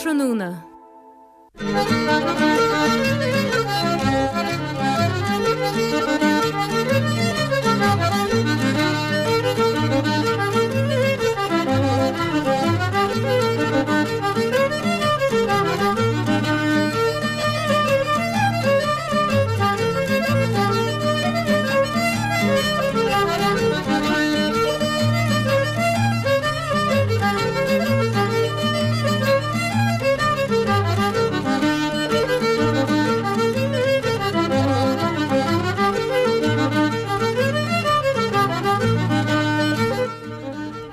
Ardtráthnóna.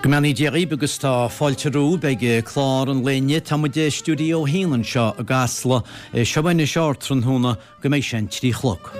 Go mbeannaí Dia dhaoibh agus tá fáilte romhaibh ag clár an lae inniu. Tá muid i Stiúideo 1 anseo i gCasla. Seo anois Ardtráthnóna. go mbeidh sé an 3 chlog.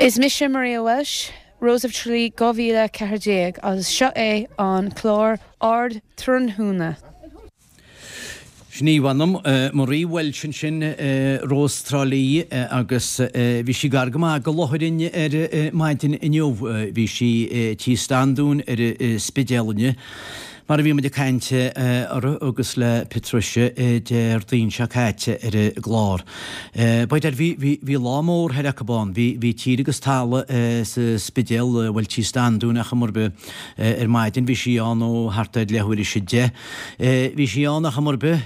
Is mise Maria Walsh, Rose of Tralee 2014 agus seo é an clár Ardtráthnóna. Sin í, mh'anam, Marie Walsh ansin, Rós Trá Lí, agus bhí sí gar go maith go Lothairin ar maidin inniu. Bhí sí tí Standún ar an Spidéal inniu, mar a bhí muid ag caint uirthi agus le Patricia Déardaoin seo caite ar an gclár. By dad, bhí, bhí, bhí lá mór thoir acu ann. Bhí, bhí tír agus talamh sa Spidéal, bhuel tí Standún ar chuma ar bith ar maidin. Bhí sí ann ó thart ar leathuair théis a deich. Bhí sí ann ar chuma ar bith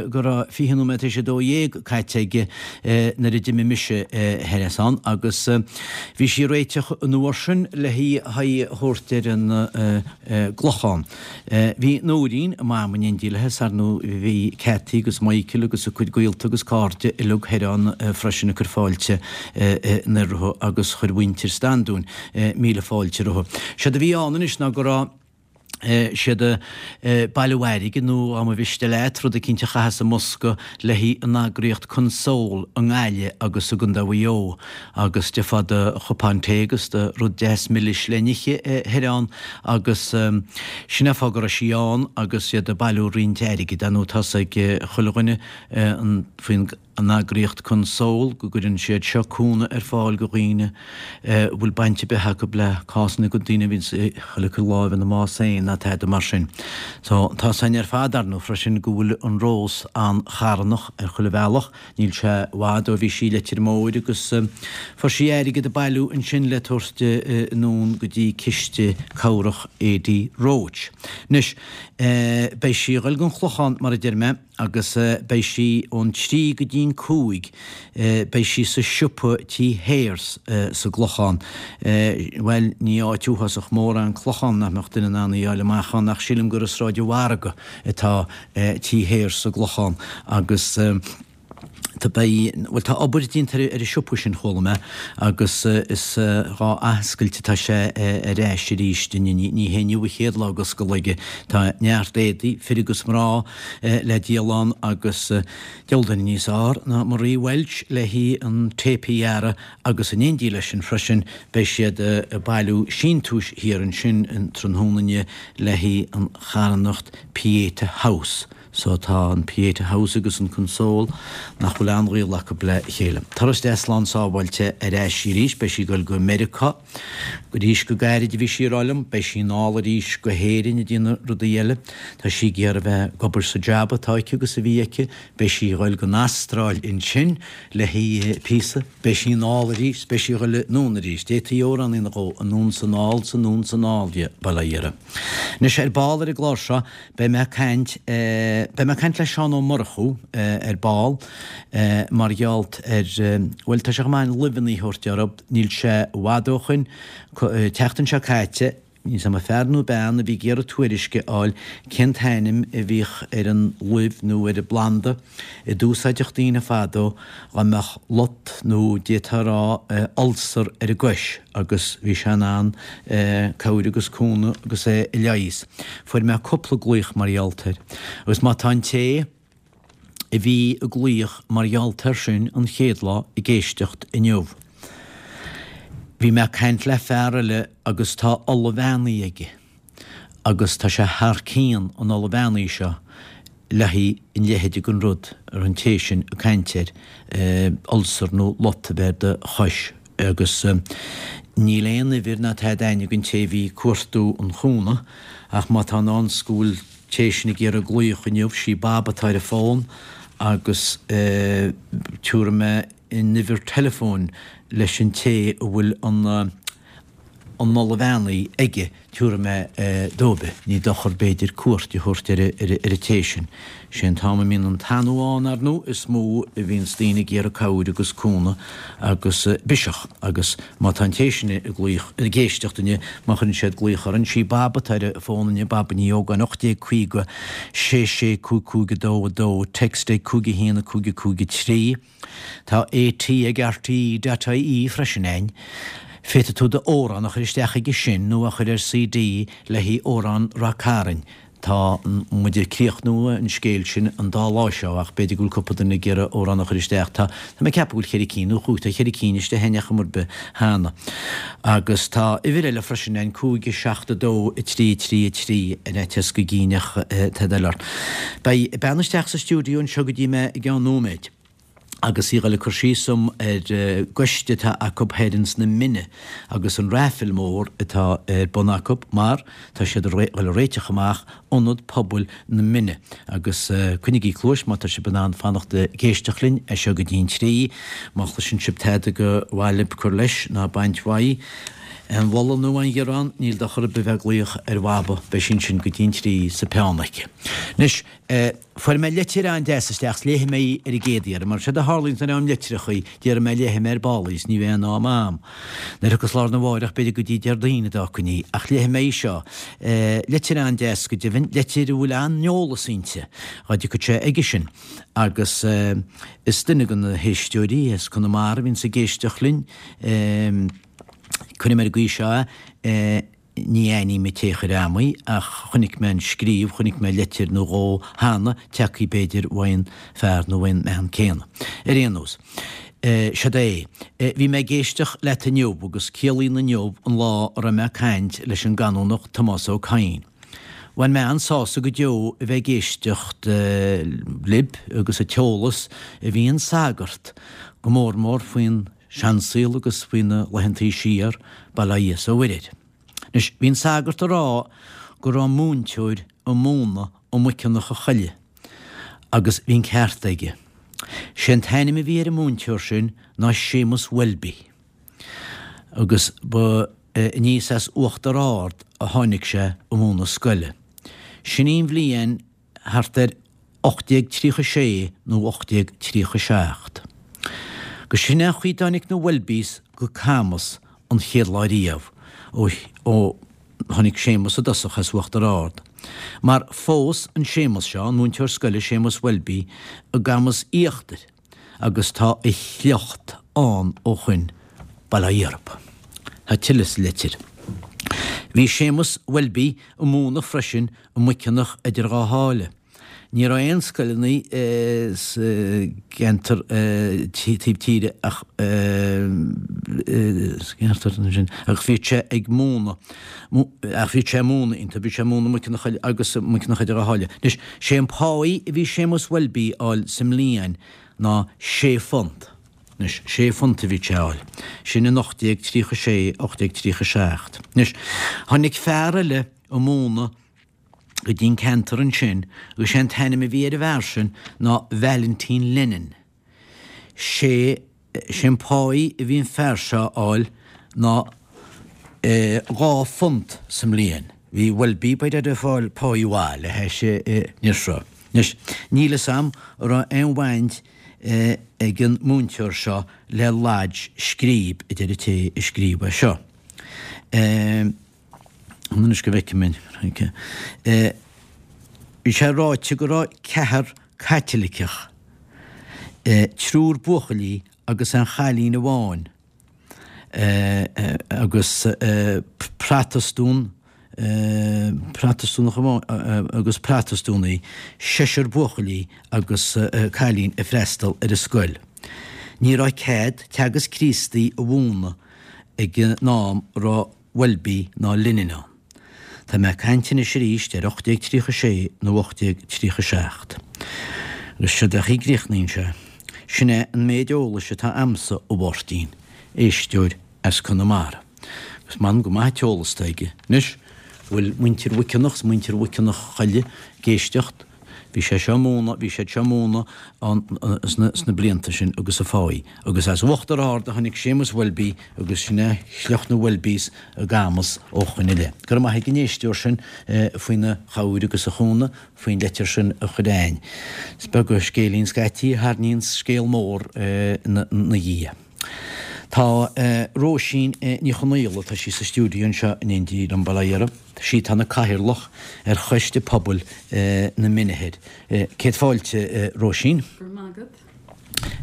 go raibh 20 nóiméad théis 12 caite aige nuair a d'imigh mise thoir as ann agus bhí sí ag réiteach an uair sin le haghaidh a thabhairt ar an gClochán. Bhí Nóirín, a mam, in éindí léi is ar ndóigh bhí Cathy agus Michael agus a cuid gaolta agus cairde uilig thoir ann freisin ag cur fáilte anoir rompu agus chuir mhuintir Standúin míle fáilte rompu. Séard a bhí ann anois ná go raibh siad ag bailiú airgid nó dá mba mhiste leat, rud eicínt a chaitheamh sa mbosca le haghaidh an eagraíocht Console i nGaillimh agus i gContae Mhaigh Eo agus d'fhéadfá do chupán tae agus do rud deas milis le n-ithe thoir ann agus sin é an fáth go raibh sí ann agus iad ag bailiú roinnt airgid. Ar ndóigh tá's ag chuile dhuine faoin. an eagraíocht Console go gcuireann siad seo cúnamh ar fáil go dhaoine a bhfuil baint ar bith acu le cásanna go daoine a bhíonns ag dul ag cur láimh ina mbás féin ná tada mar sin. So tá's againn ar fad ar ndóigh freisin go bhfuil an Rós an-charthanach ar chuile bhealach, níl sé i bhfad ó bhí sí i Leitir Móir agus fuair sí airgead a bailiú ansin le tabhairt anonn go dtí ciste cabhrach Adi Roche. Anois beidh sí a dhul gon Chlochán mar a deir mé. agus beidh sí ón trí go dtí'n cúig, beidh sí sa siopa tí Sayers sa gClochán. Bhuel, ní áit uafásach mór é an Clochán nach mbeadh duine in ann í a fháil amach ann ach sílim gur i Sráid an Mhargaidh atá tí Sayers sa gClochán agus tá, beidh, bhuel tá obair déanta ar an siopa sin chuala mé agus is dhá athoscailt atá sé ar ais arís inniu, ní hé inniu a chéad lá ag oscailt aige. Tá neart éadaí, fir agus mná, le díol ann agus diabhal duine níos fhearr ná Marie Walsh le haghaidh an téip a ghearradh agus in éindí leis sin freisin beidh siad ag bailiú síntiúis thiar ansin an tráthnóna inniu le haghaidh an charthanacht Pieta House. So tá an Pieta House agus an Console nach bhfuil aon ghaol acu le chéile. Turas deas slán sábháilte ar ais arís, beidh sí ag dul go Meiriceá. Arís go gairid a bhí sí ag rá liom, beidh sí anall arís go hÉirinn ag déanamh rudaí eile. Tá sí ag iarraidh bheith ag obair sa jab atá aici agus a bhí aici. Beidh sí ag dul gon Astráil ansin le haghaidh píosa. Beidh sí anall arís, beidh sí ag dul anonn arís. D'fhéadfaí amhrán a dhéanamh dhó, anonn 's anall 's anonn 's anall, bail ó Dhia uirthi. Anois ar ball ar an gclár seo, Beidh mé ag caint, beidh mé ag caint le Seán Ó Murchú ar ball mar gheall ar, bhuel tá sé chomh maith an luibheanna a thabhairt orthu, níl sé i bhfad ó shoin, tseachtain seo caite. Níl 's a'm an fear nó bean a bhí ag iarraidh tuairisc a fháil cén t-ainm a bhíodh ar an luibh nó ar an bplanda a d'úsáideadh daoine fadó dhá mbeadh lot nó d'fhéadfá a rá ulcer ar a gcois agus bhí sé in ann cabhair agus cúnamh agus é a leigheas. Fuair mé cúpla glaoch mar gheall air agus má tá an té a bhí ag glaoch mar gheall air sin an chéad lá ag éisteacht inniu. Bhí mé ag caint le fear eile agus tá ola bheannaithe aige agus tá sé thar cionn an ola bheannaithe seo le haghaidh an leithéid den rud a raibh an té sin ag caint air, ulcer nó lot a bheith ar do chois agus níl aon uimhir ná tada a'inn ag an té a bhí ag cuartú an chúnamh ach má tá in ann 's go bhfuil té sin ag iarraidh glaoch inniu, sí Bab atá ar an bhfón agus tiúrfaidh mé an uimhir teileafóin leis an té a bhfuil an an ola bheannaithe aige, tiúrfaidh mé dóibh í. Ní dochar b'fhéidir cuairt a thabhairt ar ar an té sin. Sé an t-am a mbíonn an t-anó ann, ar ndú, is mó a bhíonns daoine ag iarraidh cabhair agus cúnamh agus biseach agus má tá an té sin ag glaoch, ag éisteacht inniu, má chuireann siad glaoch orainn, sí Bab atá ar an bhfón inniu, Bab Ní Ógáin, 1850 6 6 5 5 2 2, text ag 5 1 5 5 3. Tá AT ag RTÉ dot IE freisin a'inn. Féadfaidh tú d'amhrán a chur isteach aige sin nó a chur ar CD le haghaidh Amhrán Rath Cairn. Tá muid ag críochnú an scéil sin an dá lá seo ach b'fhéidir go bhfuil cúpla duine ag iarraidh amhrán a chur isteach. Tá tá mé ag ceapadh go bhfuil cheithre cinn nó chúig, tá cheithre cinn istigh a'inn ar chuma ar bith cheana. Agus tá uimhir eile freisin a'inn, 5 7 2 3 3 3 ar fhaitíos go gcinneadh tada eile ort. Beidh bean isteach sa stiúideo anseo go dtí mé i gceann nóiméid. Agus í ag dul ag cur síos dom ar gcoiste atá acu thoir ins na Mine agus an raffle mór atá ar bun acu mar tá siad ag dul a réiteach amach Ionad Pobail na Mine agus coinnigí cluais má tá sibh in ann fanacht ag éisteacht linn as seo go dtí'n trí. Má chloiseann sibh tada gur mhaith libh cur leis ná baint uaidh, aon mholadh nó aon ghearán, níl dochar ar bith bheith ag glaoch ar Bhaba, beidh sí ansin go dtí'n trí sa peann aici. Anois. Fuair mé litir an-deas isteach 's léifidh mé í ar an gcéad iarraidh, mar séard a tharlaíonns nuair a fhaighim litreachaí, déarfaidh mé léifidh mé ar ball í 's ní bheidh aon am a'm. Nuair a thiocfas lá arna mháireach b'fhéidir go dtí Déardaoin a d'fhágfainn í, ach léifidh mé í seo. Litir an-deas go deimhin, litir a bhfuil an-eolas inti, dhá dtiocfadh sé aige sin. Agus is duine de na héisteoirí as Conamara a bhíonns ag éisteacht linn, cuirfidh mé ar an gcaoi seo é, Ní aithním an té a chuir a'm í, ach chonaic mé an scríobh, chonaic mé leitir nó dhó cheana, tagthaí b'fhéidir uaidh an fear nó uaidh an mbean céanna. Ar aon nós, seod é. Bhí mé ag éisteacht leat inniu agus ciallaíonn inniu an lá a raibh mé ag caint leis an gCanónach Tomás Ó Cadhain. Bhain mé an-sásamh go deo a bheith ag éisteacht libh agus an t-eolas a bhí an sagart, go mór mór faoin seansaol agus faoi na laethantaí siar, bail ó Dhia 's ó Mhuire air. Anois, bhí an sagart a rá go raibh múinteoir a múineadh i Muiceanach a Choille agus bhí an ceart aige. Sé an t-ainm a bhí ar an múinteoir sin ná Séamus Welby agus ba aníos as Uachtar Ard a tháinig sé a múineadh scoile. Sin í an bhliain thart ar 1836 nó 1837. Agus sin é an chaoi dtáinig na Welbys go Camus an chéad lá riamh, ó ó tháinig Séamus i dtosach as Uachtar Ard. Mar phós an Séamus seo, an múinteoir scoile Séamus Welby, i gCamus Íochtair, agus tá a shliocht ann ó shoin, bail ó Dhia orthu. Tá tuilleadh sa litir. Bhí Séamus Welby a múineadh freisin i Muiceanach idir Dhá Sháile. Ní raibh aon scoileanna sa gceantar taobh tíre ach sa gceantar sin ach bhíodh sé ag múineadh ach bhíodh sé ag múineadh iontu, bhí sé ag múineadh i Muiceanach agus Muiceanach idir Dhá Sháile. Anois, sé an páí a bhí Séamus Welby a fháil sa mbliain ná sé phunt. Anois, sé phunt a bhí sé a fháil. Sin in 1836, 1837. Anois, tháinig fear eile a múineadh go dtí an ceantar ansin agus sé an t-ainm a bhí ar an bhfear sin ná Valentin Lennon. Sé sé an páí a bhí an fear seo a fháil ná 2 phunt sa mbliain. Bhí Welby b'fhéidir ag fáil páí mhaith le hais an fhir seo. Anois, níl fhios a'm an raibh aon bhaint ag an múinteoir seo le Lodge Scríb, a deir an té a scríobh é seo. Anois go bhfeicfidh mé. Bhí sé ráite go raibh ceathrar Caitliceach, triúr buachaillí agus aon chailín amháin, agus Protastún, Protastúnach amháin agus Protastúnaí, seisear buachaillí agus cailín ag freastal ar an scoil. Ní raibh cead teagasc Críostaí a mhúineadh ag an am a raibh Welby ná Lennon ann. Tá mé ag caint anois arís ar 1836 nó 1837. Agus seo é a chríochnaíonn sé, Sin é an méid eolais atá a'msa, a Mháirtín, éisteoir as Conamara. Agus m'anam go maith an t-eolas atá aige. Anois, bhfuil muintir Mhic Cionnaith 's muintir Mhic Cionnaith Choille ag éisteacht? Bhí sé seo ag múineadh, bhí siad seo ag múineadh ann sna blianta sin agus a fáidh. Agus as Uachtar Ard a tháinig Séamus Welby agus sin é shliocht na Welbys i gCamus ó shoin i leith. Go raibh maith ag an éisteoir sin faoina chabhair agus a chúnamh faoin leitir sin a chur a'ainn. Is beag an scéilín scaití a tharraingíonn scéal mór ina dhiaidh. Tá Róisín Ní Chonaola, tá sí sa stiúideo anseo in éindí liom, bail ó Dhia uirthi. Sí atá ina cathaoirleach ar Choiste Pobail na Mine Thoir. Céad fáilte, Róisín. Go raibh maith agat.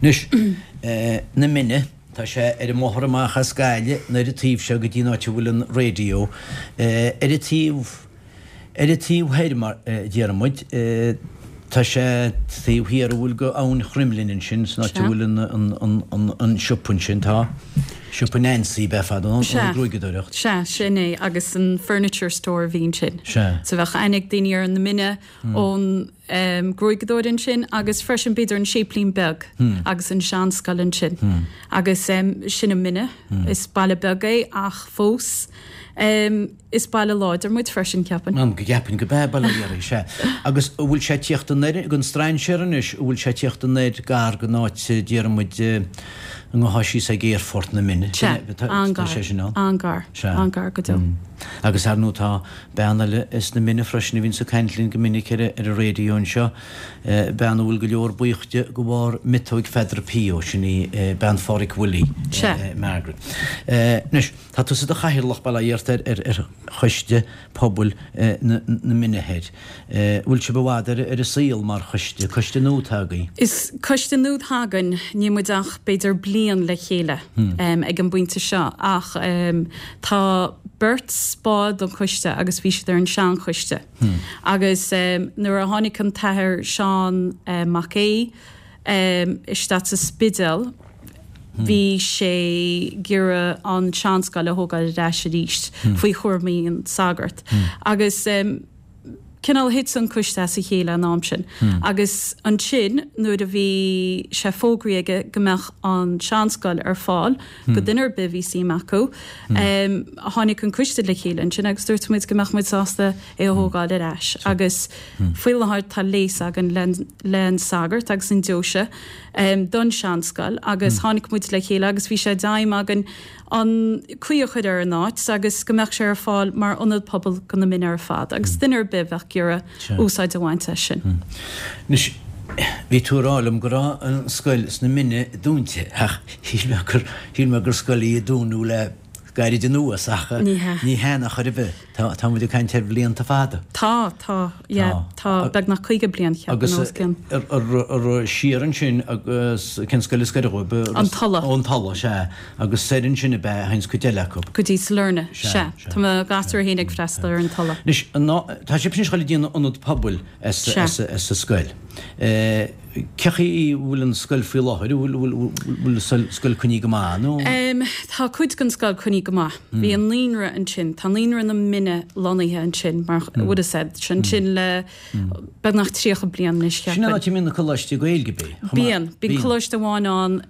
Anois, na Mine, tá sé ar an mbóthar amach as Gaillimh, ar an taobh seo go dtí an áit a bhfuil an raidió. Ar an taobh. Ar an taobh thoir, mar a déarfaidh muid, tá sé taobh thiar a bhfuil go Abhainn Chroimlinn ansin, san áit a bhfuil an siopa ansin, tá siopa Nancy ab ea fadó, an ghruaigeadóireacht. Sea, sin é, agus an furniture store a bhí ansin. Sea. So bheadh aithne ag daoine ar na Mine ón gruaigeadóir ansin agus freisin b'fhéidir an séiplín beag agus an seanscoil ansin. Agus sin an Mine, is baile beag é ach fós. Is baile láidir muid freisin, ceapaim. Go gceapainn go b'ea, bail ó Dhia oraibh, sea. Agus an bhfuil sé ag tíocht anoir ag an strainséir anois, an bhfuil sé ag tíocht anoir gar don áit a déarfaidh muid an ngabhfá síos ag aerfort na Mine? Sea, an-gar, Tá sé sin ann? an-gar, Sea. an-gar go deo. Agus ar ndóigh tá bean eile sna Mine freisin a bhíonns ag caint linn go minic ar an raidió anseo, bean a bhfuil go leor buíoch di de bharr miotóig Pheadar P. Sin í bean Phádhraic Willie, Sea. Margaret. Anois. Tá tusa i do chathaoirleach, bail ó Dhia ort, ar Choiste Pobail na Mine Thoir. Bhfuil sibh i bhfad ar an saol mar choiste? Coiste nua atá agaibh? Is coiste nua atá againn. Níl muid ach b'fhéidir bliain le chéile ag an bpointe seo ach tá beirt ball den choiste agus bhí siad ar an seanchoiste. Agus nuair a tháinig an tAthair Seán Mac Aodha, isteach sa Spidéal. Bhí sé ag iarraidh an tseanscoil a thógáil ar ais arís faoi chúraimí an sagart. Agus cineál thit an coiste as a chéile an am sin. Agus ansin nuair a bhí sé fógraithe aige go mbeadh an seanscoil ar fáil go duine ar bith a bhí suim acu, tháinig an coiste le chéile ansin agus dúirt muid go mbeadh muid sásta é a thógáil ar ais. Agus faoi láthair tá léas againn le an sagart agus an deoise don seanscoil agus tháinig muid le chéile agus bhí sé d'aidhm againn an caoi a chur ar an áit agus go mbeadh sé ar fáil mar ionad pobail go na Mine ar fad agus duine ar bith a bheadh ag iarraidh úsáid a bhaint as sin. Anois, bhí tú ag rá liom go raibh an scoil sna Mine dúnta ach shíl mé gur, shíl mé gur scoil í a dúnadh le gairid anuas ach Ní hea. ní hea in aon chor ar bith. Tá, tá muid ag caint ar bhlianta fada. Tá, tá, yeah, tá beagnach 50 bliain, cheapfainn, Agus os cionn. ar, ar, ar, siar ansin agus cén scoil is gaire dhóibh? An Tulaigh. Ó, an Tulaigh, sea. Agus soir ansin ab ea a théanns cuid eile acu. Go dtí Sailearna, sea. Tá mo ghasúir féin ag freastal ar an Tulaigh. Anois, ná, tá sibh anois ag dul ag déanamh ionad pobail as, as, as an scoil. Cé chaoi a bhfuil an scoil faoi láthair? An bhfuil, bhfuil an scoil coinnithe go maith nó? Tá cuid den scoil coinnithe go maith. Bhí an naíonra ansin, tá naíonra na Mine lonnaithe ansin mar would have said, ansin le beagnach 30 bliain anois Sin an cheapfainn. áit a mbíonn na coláistí Gaeilge, bíonn? Bíonn. Bíonn coláiste amháin ann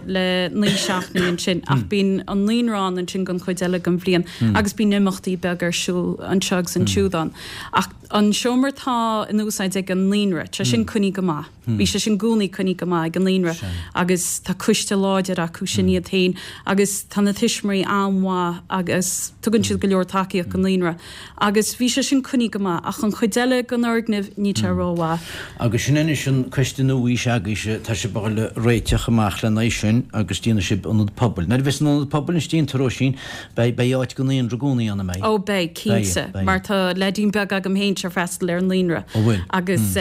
le naoi seachtainí ansin ach bíonn an naíonra ann ansin don chuid eile den bhliain agus bíonn imeachtaí beaga ar siúl anseo agus ansiúd ann. Ach An seomra atá in úsáid ag an naíonra, tá sin coinnithe go maith. Bhí sé sin i gcónaí coinnithe go maith ag an naíonra agus tá coiste láidir acu sin iad féin agus tá na tuismitheoirí an-mhaith agus tugann siad go leor tacaíocht don naíonra. naíonra agus bhí sé sin coinnithe go maith ach an chuid eile den fhoirgneamh níl sé rómhaith. Agus sin anois an coiste nua s'agaibhse, tá sibh a dhul a réiteach amach lena aghaidh sin agus déanfaidh sibh ionad pobail. Nuair a bheas an ionad pobail anois déanta, Róisín, beidh, beidh áit don naíonra i gcónaí ann, an mbeidh? Ó beidh, cinnte, mar tá leaidín beag agam féin ag freastal ar an naíonra. Ó bhfuil? Agus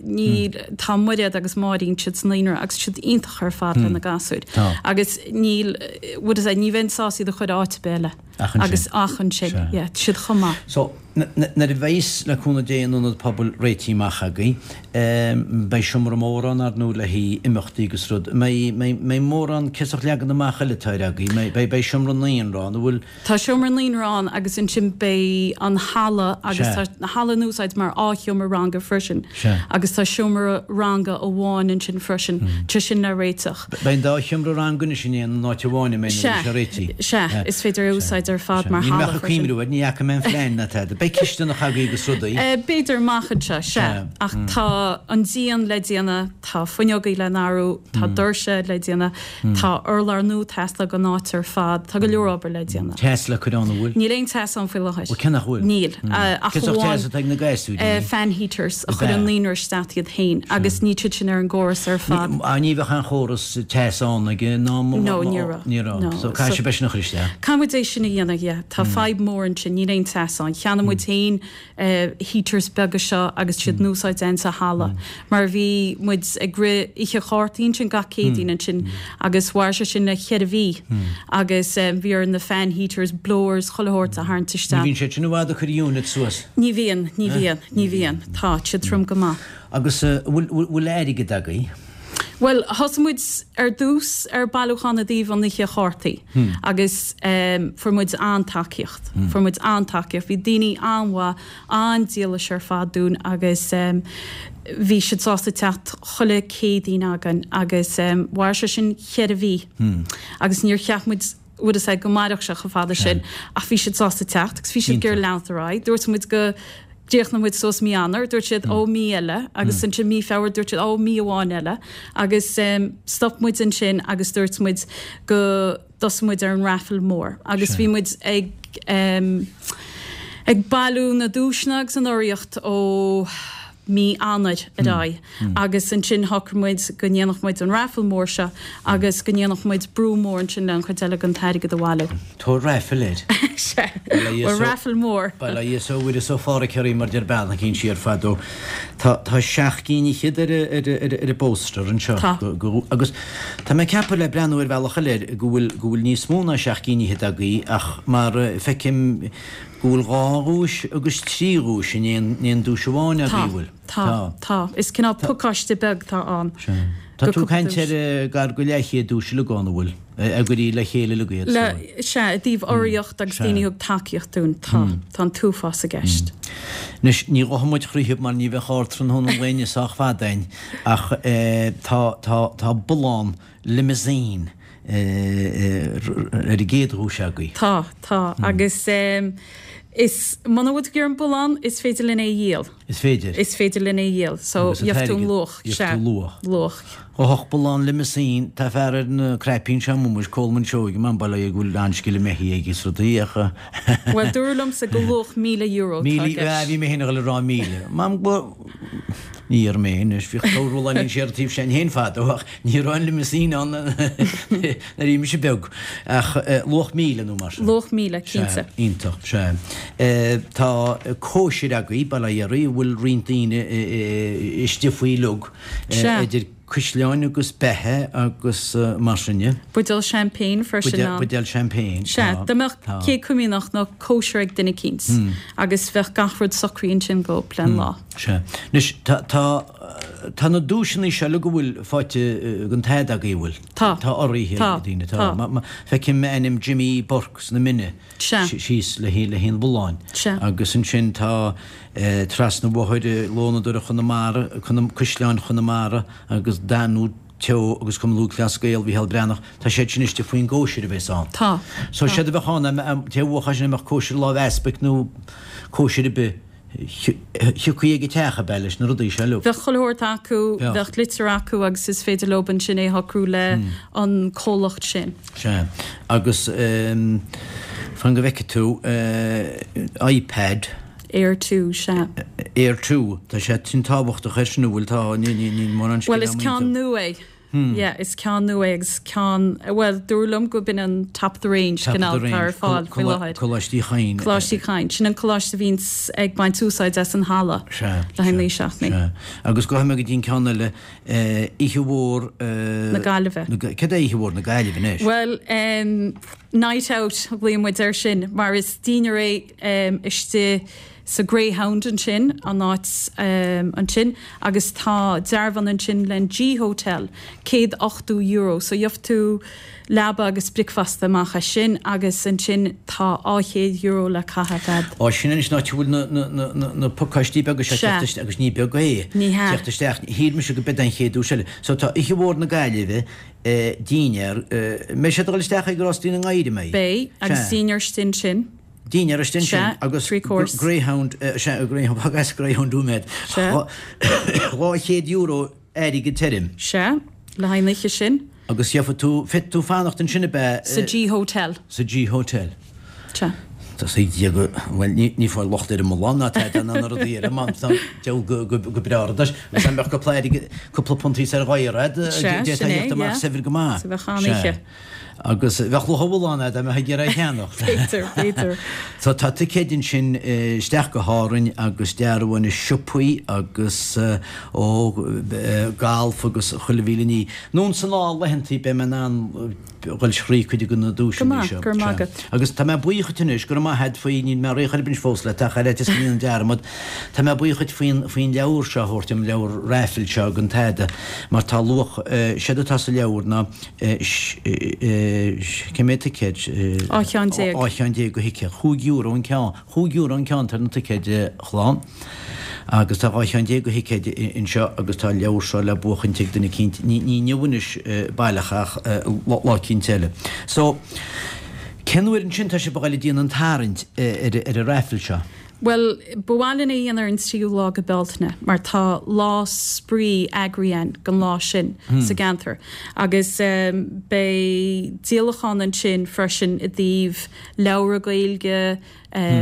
níl, tá Muiréad agus Máirín siad sa naíonra agus siad iontach ar fad le na gasúir. Tá. Agus níl, what is that, ní bheinn sásta iad a chur áit ar bith eile. Ach ansin. Agus ach ansin, Sea. yeah, tá siad chomh maith. So, nuair a bheas, le cúnamh Dé, an ionad pobail réitithe amach agaibh, beidh seomra mór ann, ar ndóigh, le haghaidh imeachtaí agus rud. Mbeidh, mbeidh, mbeidh mórán cosach leagan amach eile atá ar agaibh? Mbeidh, beidh, beidh seomra naíonra ann, an bhfuil? Tá seomra naíonra ann agus ansin beidh an halla agus Sea. tá an halla in úsáid mar dhá sheomra ranga freisin Sea. agus tá seomra ranga amháin ansin freisin, tá sin le réiteach. Beidh an dá sheomra ranga anois in aon áit amháin an mbeidh nuair a bheidh sé réitithe? Sea, is féidir é a úsáid ar fad mar Níl mé halla ach ag freisin. cuimhniú air, ní fhaca mé an phlean ná tada. Beidh cisteanach agaibh agus rudaí. B'fhéidir amach anseo, sea. Ach tá an díon le déanamh, tá fuinneogaí le n-athrú, tá doirse le déanamh. Tá urlár nua ag teastáil don áit ar fad. Tá go leor obair le déanamh. Teas le cur ann, an bhfuil? Níl aon teas ann faoi láthair. Ó, cé nach bhfuil? Níl. Ach Cén sórt amháin teas atá ag na gasúir, an fan heaters a chuir an naíonra isteach iad féin agus níl siad sin ar an gcóras ar fad. Ní bheadh aon chóras teas ann ag an am? No, ní raibh. Ní raibh. No. So caithfidh sibh é sin a chur isteach. Caithfidh muid é sin a dhéanamh, yeah. Tá fadhb mhór ansin, níl aon teas ann. Cheannaigh muid féin heaters beaga seo agus siad in úsáid againn sa halla mar bhí muid ag rith oíche chártaí ansin gach Céadaoin ansin agus mhair sé sin le cheithre mhí agus bhí orainn na fan heaters, blowers, chuile shórt a tharraingt Ní isteach. bhíonn siad sin i bhfad ag cur unit suas. Ní bhíonn, ní bhíonn, ní bhíonn. Tá siad trom go maith. Agus bhfuil, bhfuil airgead agaibh? Bhuel, thosaigh muid ar dtús ar bailiúchán i dtaobh an oíche chártaí agus fuair muid an-tacaíocht. Fuair muid an-tacaíocht. Bhí daoine an-mhaith, an-dílis ar fad dúinn agus bhí siad sásta teacht chuile Céadaoin againn agus mhair sé sin cheithre mhí agus níor cheap muid bhfuil a fhios agat go mairfeadh sé chomh fada sin ach bhí siad sásta teacht agus bhí siad ag iarraidh leanacht ar aghaidh. Dúirt muid go dtríochnódh muid suas mí Eanáir, dúirt siad ó mí eile agus ansin mí Feabhra dúirt siad ó mí amháin eile agus stop muid ansin agus dúirt muid go dtosódh muid ar an raffle mór agus bhí muid ag ag bailiú na duaiseanna agus an urraíocht ó mí Eanáir ar aghaidh agus ansin shocraigh muid go ndéanfadh muid an raffle mór seo agus go ndéanfadh muid brú mór ansin le an chuid eile den t-airgead a bhailiú. Tabhair raffle air. Sea, bhuel raffle mór. Bail ó Dhia is ó Mhuire is ó Phádhraic oraibh mar deir bean eicínt siar fadó. Tá tá seacht gcinn fhichead ar ar ar ar an bpóster anseo. Tá. Go agus tá mé ag ceapadh le breathnú ar bhealach eile air go bhfuil go bhfuil níos mó ná seacht gcinn fhichead agaibh ach mar feicim Go bhfuil dhá dhuais agus trí dhuais in aon aon duais amháin Tá, agaibh, bhfuil? tá, tá. Is cineál pacáiste beag atá ann. Sea. Tá Go tú ag cúpla caint duais. ar gar go leathchéad duais uilig ann, an bhfuil? A gcuirí le chéile uilig iad, Le, so. sea, i dtaobh urraíocht agus Sea. daoine a thug tacaíocht dúinn, tá, tá an t-uafás i gceist. Anois, ní ghoidfidh muid chroíthe mar ní bheadh ardtráthnóna an lae inniu sách fada againn, ach tá, tá, tá bullán limousine ar an gcéad dhuais agaibh. Tá, tá. Agus is, muna bhfuil tú ag iarraidh an bullán, is féidir linn é a dhíol. Is féidir. Is féidir linn é a dhíol. So, gheobhaidh tú an luach. Gheobhaidh tú luach. Luach. Ghoidfeadh bullán limousine, tá fear ar na cnaipí anseo amuigh, Colman Seoighe, man, bail ó Dhia air go bhfuil an-scil imithe aige is rudaí ach. Bhuel, dúradh liomsa go luach €1,000 atá i gceist. Bhí mé féin ag dul a rá 1,000. Mam, go. Ní dhear mé anois, bhíodh corr-bhulláinín siar an taobh sin féin fadó ach ní raibh an limousine ann nuair a bhí mise beag. Ach luach 1,000 nó mar sin. Luach 1,000, cinnte. Sea, iontach, sea. Tá cóisir agaibh, bail ó Dhia oraibh, a bhfuil roinnt daoine istigh faoi uilig, idir cuisleáin agus beatha agus mar sin de. Buidéal champagne freisin ann. Buidéal champagne, Sea, tá. dá mbeadh céad comaoineach nó cóisir ag duine eicínt agus bheadh gach rud socraithe ansin dhóibh len lá. Sea. Anois, tá, tá, tá na duaiseanna seo uilig go bhfuil faighte den t-ad agaibh, an bhfuil? Tá. Tá urraithe Tá. ag daoine, tá. Tá. Ma, ma, feicim ainm Jimmy Burke sna Mine Sea. síos le haghaidh, le haghaidh an bhulláin. Sea. Agus ansin tá eh, Trasna an Bhóthair, Lónadóireacht Chonamara, Conam, Caisleáin Chonamara agus Danú Teo agus Cumann Lúthchleas Gael Mhícheál Breathnach, tá siad sin istigh faoin gcóisir a bheas ann. Tá. So Tá. séard a bheadh ann, an té a bhuafadh sin, a mbeadh cóisir láimh easpaig nó cóisir ar bith, Thiocfaí ag an teach ab ea leis na rudaí seo uilig. Bheadh chuile shórt acu, Bheadh. bheadh litir acu agus is féidir leob ansin é a shocrú le an comhlacht sin. Sea. Agus. Fan go bhfeicfidh tú iPad. Air 2, sea. Air 2, tá sé sin tábhachtach air sin, an bhfuil? Tá, níl mórán scil agam iontu. Bhuel, is ceann nua é. Yeah, is ceann nua é agus ceann, bhuel, dúradh liom gurb in an top of the range cineál atá ar fáil faoi láthair. Coláiste Uí Chadhain. Coláiste Uí Chadhain. Sin an coláiste a bhíonns ag baint úsáid as an halla le haghaidh na seachtainí. Sea. Agus gabhfaidh mé go dtí an ceann eile, Oíche Mhór. Na Gaillimhe. Céard é Oíche Mhór na Gaillimhe anois? Bhuel, night out a ghlaonn muid air sin mar is dinnéar é istigh sa Greyhound ansin, an áit ansin, agus tá dearbhán ansin len G Hotel, €180, so gheobhaidh tú leaba agus bricfeasta amach as sin agus ansin tá €200 le caitheamh a'd. Á, sin anois an áit a bhfuil na, na, na, na, na pacáistí beaga seo Sea. teacht isteach, agus ní beag é, Ní hea. teacht isteach, shíl mise go b'ead an chéad duais eile. So tá Oíche Mhór na Gaillimhe, dinnéar, mbeidh sé ag dul isteach ag Rástaí na nGadhar, an mbeidh? Beidh, agus Sea. dinnéar istigh ansin. Dinnéar istigh ansin agus Greyhound, sea, Greyhound, agus Greyhound nóiméad. Sea. €200 airgead tirim. Sea, le haghaidh an oíche sin. Agus gheobhaidh tú, féadfaidh tú fanacht ansin ab ea? Sa G Hotel. Sa G Hotel. Sea. Tá sé go, bhuel, ní, ní fáil locht ar an mbullán ná tada ná na rudaí eile, má tá deabhal go, go, go breá rud leis. Agus dá mbeadh cúpla airgead, cúpla punt thíos ar ghair a'd, Sea, d'fhéadfá sin é, a theacht amach yeah. saibhir go maith. Sea, bheadh an-oíche. Sea. Agus bheadh luach an bhulláin a'd dá mbeifeá ag iarraidh é a cheannach. B'fhéidir, b'fhéidir. So tá ticéid ansin isteach go hÁrainn agus dearbháin i siopaí agus ó galf agus chuile mhíle ní. Anonn 's anall laethantaí beidh mé in ann dhul thrí cuid de na Go duaiseanna maith, seo. go raibh maith agat. Agus tá mé buíoch dhuit anois, go raibh maith a'd faoi, níl mé réidh chor ar bith anois fós leat ach ar fhaitíos go ndéanfainn dearmad, tá mé buíoch dhuit faoin, faoin leabhar seo a thabhairt dom, leabhar raffle seo den tada, mar tá luach, séard atá sa leabhar ná, Cé mhéad ticéad? 12 cheann. 12 cheann de thicéid. €5 an ceann. €5 an ceann ar na ticéid a chlann. Agus tá 12 cheann de thicéid anseo agus tá an leabhar seo le buachaint ag duine eicínt. Ní inniu anois baileach ach lá eicínt eile. So, cén uair ansin tá sibh ag dul ag déanamh an tarraingt ar an raffle seo? Bhuel, ba mhaith linn é a dhéanamh ar an tríú lá go Bealtaine mar tá lá spraoi eagraithe againn don lá sin sa gceantar agus beidh díolachán ansin freisin i dtaobh leabhra Gaeilge,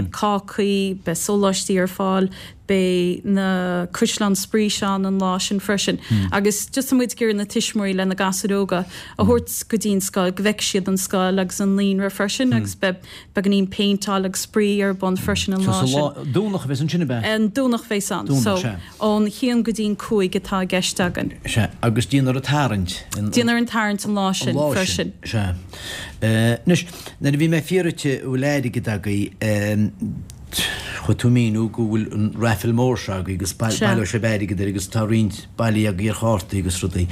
cácaí, beidh sóláistí ar fáil, beidh na caisleáin spraoi seo ann an lá sin freisin agus just tá muid ag iarraidh na tuismitheoirí lena gasúir óga a thabhairt go dtí an scoil go bhfeicfidh siad an scoil agus an naíonra freisin agus beidh Beagáinín péinteáil agus spraoi ar bun freisin an lá sin. So sa lá, Domhnach a bheas ansin, ab ea? An Domhnach a bheas ann. Domhnach, So, sea. ón haon go dtí'n 5 atá i gceist againn. Sea, agus déanfar an tarraingt. Déanfar an tarraingt an lá sin An lá freisin. sin, sea. Anois, nuair a bhí mé ag fiafraí díot an bhfuil airgead agaibh, chuaigh tú ag míniú go bhfuil an raffle mór seo agaibh agus baileoidh sibh airgead air agus tá roinnt bailithe agaibh ar chártaí agus rudaí.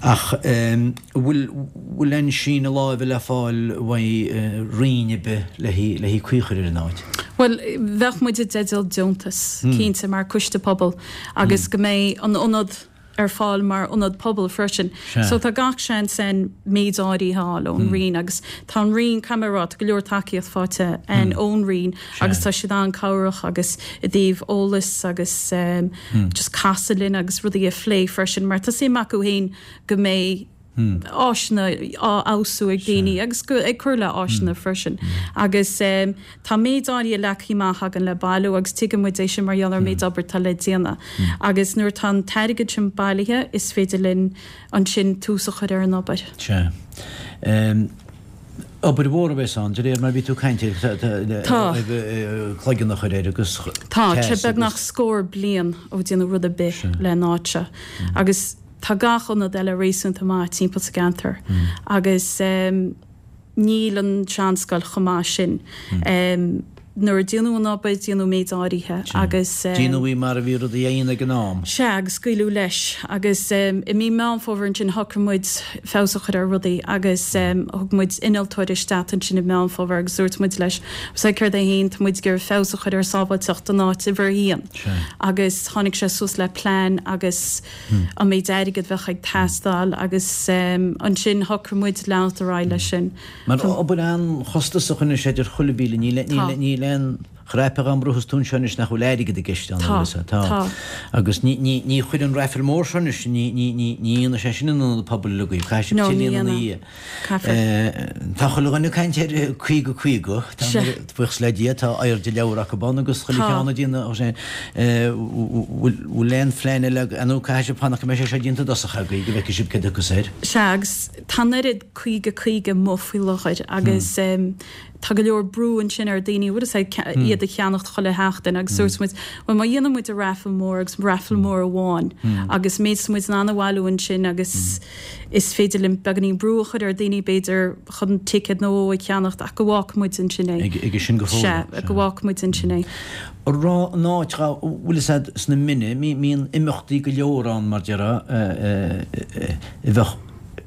Ach an bhfuil, bhfuil aon síneadh láimhe le fáil uaidh roinn ar bith le haghaidh caoi a chur ar an áit? Bhuel, bheadh muid i dteideal deontas, cinnte, mar coiste pobail agus go mbeidh an ionad ar fáil mar ionad pobail freisin. So tá gach seans ann méid áirithe a fháil ón Roinn agus tá an Roinn, caithfidh mé a rá, tá go leor tacaíocht faighte againn ón Roinn agus tá siad an-cabhrach agus i dtaobh eolas agus just casadh linn agus rudaí a phlé freisin mar tá suim acu féin go mbeidh áiseanna á fheabhsú ag daoine agus go ag cur le áiseanna freisin. Agus tá méid áirithe leagtha amach againn le bailiú agus tuigeann muid é sin mar gheall ar an méid obair atá le déanamh. Agus nuair atá an t-airgead sin bailithe is féidir linn ansin tús a chur ar an obair. Sea. Obair mhór a bheas ann, de réir mar a bhí tú ag caint air, Tá. cloigeann a chur air agus Tá, teas sé beagnach agus. scór bliain ó déanadh rud ar bith le an áit seo. Agus. Tá gach ionad eile réasúnta maith timpeall sa gceantar agus níl an tseanscoil chomh maith sin. Nuair a déanadh an obair, déanadh méid áirithe agus. Déanadh í mar a bhí rudaí á dhéanamh ag an am. Sea, agus scaoileadh leis. Agus i mí Meán Fómhair ansin shocraigh muid feabhas a chur ar rudaí agus thug muid innealtóir isteach ansin i Meán Fómhair agus dúirt muid leis, Sea, céard é féin, tá muid ag iarraidh feabhas a chur ar sábháilteacht an áit uimhir a haon. Agus tháinig sé suas le plean agus. an méid airgid bheadh ag teastáil agus ansin shocraigh muid leanacht ar aghaidh leis sin. Mar obair an-chostasach anois idir chuile mhíle, níl aon. Chraipe dhá mbruitheas tú anseo anois nach bhfuil airgead i gceist ann, Tá, bhfuil fhios tá. Tá. Agus ní, ní, ní chuir an raifil mór seo anois, ní, ní, ní, ní dhéanfaidh sé sin an ionad pobail uilig agaibh, caithfidh sibh No, ní tuilleadh ina dhéanfaidh. dhiaidh. Caithfear. Tá chuile dhuine ag caint ar 50, 50, tá Sea. buíochas le Dia, tá airde leabhar acu ann agus chuile Tá. cheann ag déanamh sin. Bhfuil, bhfuil aon phlean eile ag, nó caithfidh sibh fanacht go mbeidh sé seo déanta i dtosach agaibh go bhfeicfidh sibh céard a thiocfas air. Sea, agus tá an oiread 50, 50 amuigh faoi láthair agus tá go leor brú ansin ar daoine, bhfuil fhios a'd, iad a cheannacht chuile sheachtain agus dúirt muid, bhuel má dhéanann muid an raifil mór agus raifil mór amháin agus méid is muid in ann a bhailiú ansin agus is féidir linn beagáinín brú a chur ar daoine b'fhéidir chun ticéad nó dhó a cheannacht ach go bhfágfaidh muid ansin é. Aige sin go fóill. Sea, go bhfágfaidh muid ansin é. An raibh an áit, bhfuil fhios a'd, sna Mine, mbíonn imeachtaí go leor ann mar déarfá, a bheadh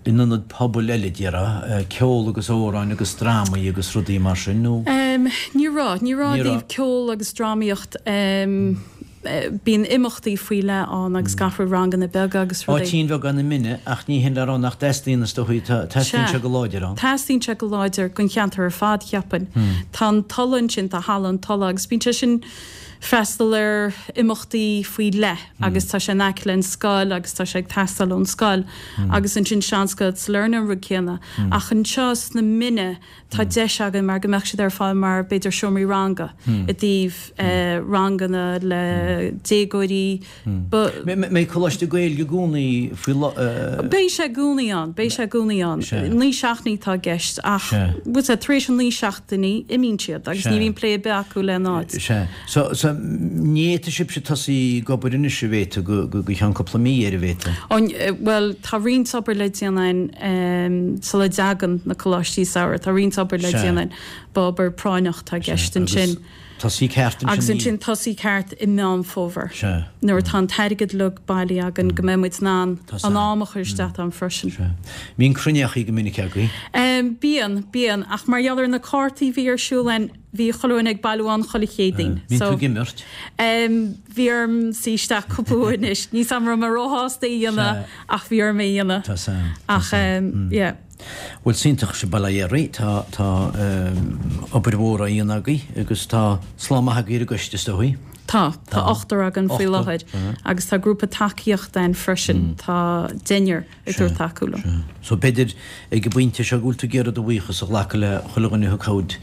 in ionad pobail eile, déarfá, ceol agus amhráin agus drámaí agus rudaí mar sin, nó? Ní raibh, ní raibh i dtaobh ceol agus drámaíocht. Bíonn imeachtaí faoi leith ann agus gach rud, ranganna beaga agus rudaí. Áitín bheag ann na Mine ach ní hin le rá nach dteastaíonn is dóichí, teastaíonn sé go láidir ann. Teastaíonn sé go láidir don cheantar ar fad, cheapfainn. Tá an Tulaigh ansin, tá Halla an Tulaigh agus bíonn sé sin freastal ar imeachtaí faoi leith agus tá sé in aice le an scoil agus tá sé ag teastáil ón scoil agus ansin Seanscoil Sailearna an rud céanna. Ach anseo sna Mine tá deis againn mar go mbeadh siad ar fáil mar b'fhéidir seomraí ranga i dtaobh ranganna le déagóirí. Mbeidh Coláiste Gaeilge i gcónaí faoi. Beidh sé i gcónaí ann, beidh sé i gcónaí ann. 9 seachtainí atá i gceist ach bhfuil sé tar éis an 9 seachtainí imíonn siad agus ní bhíonn plé ar bith acu le an áit. Sea. So, so, ní fhéadfaidh sibhse tosaí ag obair anois an bhféadfaidh go, go, go cheann cúpla mí ar a mhéad? Ó, bhuel, tá roinnt obair le déanamh againn sula dtagann na coláistí samhraidh. Tá roinnt obair le déanamh againn. Ba obair práinneach atá i gceist ansin. Agus tosaí ceart ansin Agus ansin tosaí ceart i Meán Fómhair. Sea. Nuair atá an t-airgead uilig bailithe againn go mbeidh muid in ann an am a chur isteach ann freisin. Sea. Bíonn cruinneachaí go minic agaibh? Bíonn, bíonn. Ach mar gheall ar na cártaí a bhí ar siúl againn, Bhí chuile dhuine ag bailiú ann chuile Chéadaoin. Bíonn tú ag imirt? Bhí orm suí isteach cúpla uair anois. Níl 's a'm an raibh mé róshásta é a dhéanamh ach bhí orm é a dhéanamh. Tá 's a'm. Ach yeah. Bhuel, is iontach sibh bail ó Dhia oraibh. Tá, tá obair mhór á dhéanamh agaibh agus tá slám maith agaibh ar an gcoiste is dóigh. Tá. Tá ochtar againn faoi láthair agus tá grúpa tacaíochta ann freisin. Tá deichniúr. ag tabhairt tacú liom. Sea. So b'fhéidir ag an bpointe seo go bhfuil tú ag iarraidh do bhuíochas a ghlacadh le chuile dhuine a thug cabhair.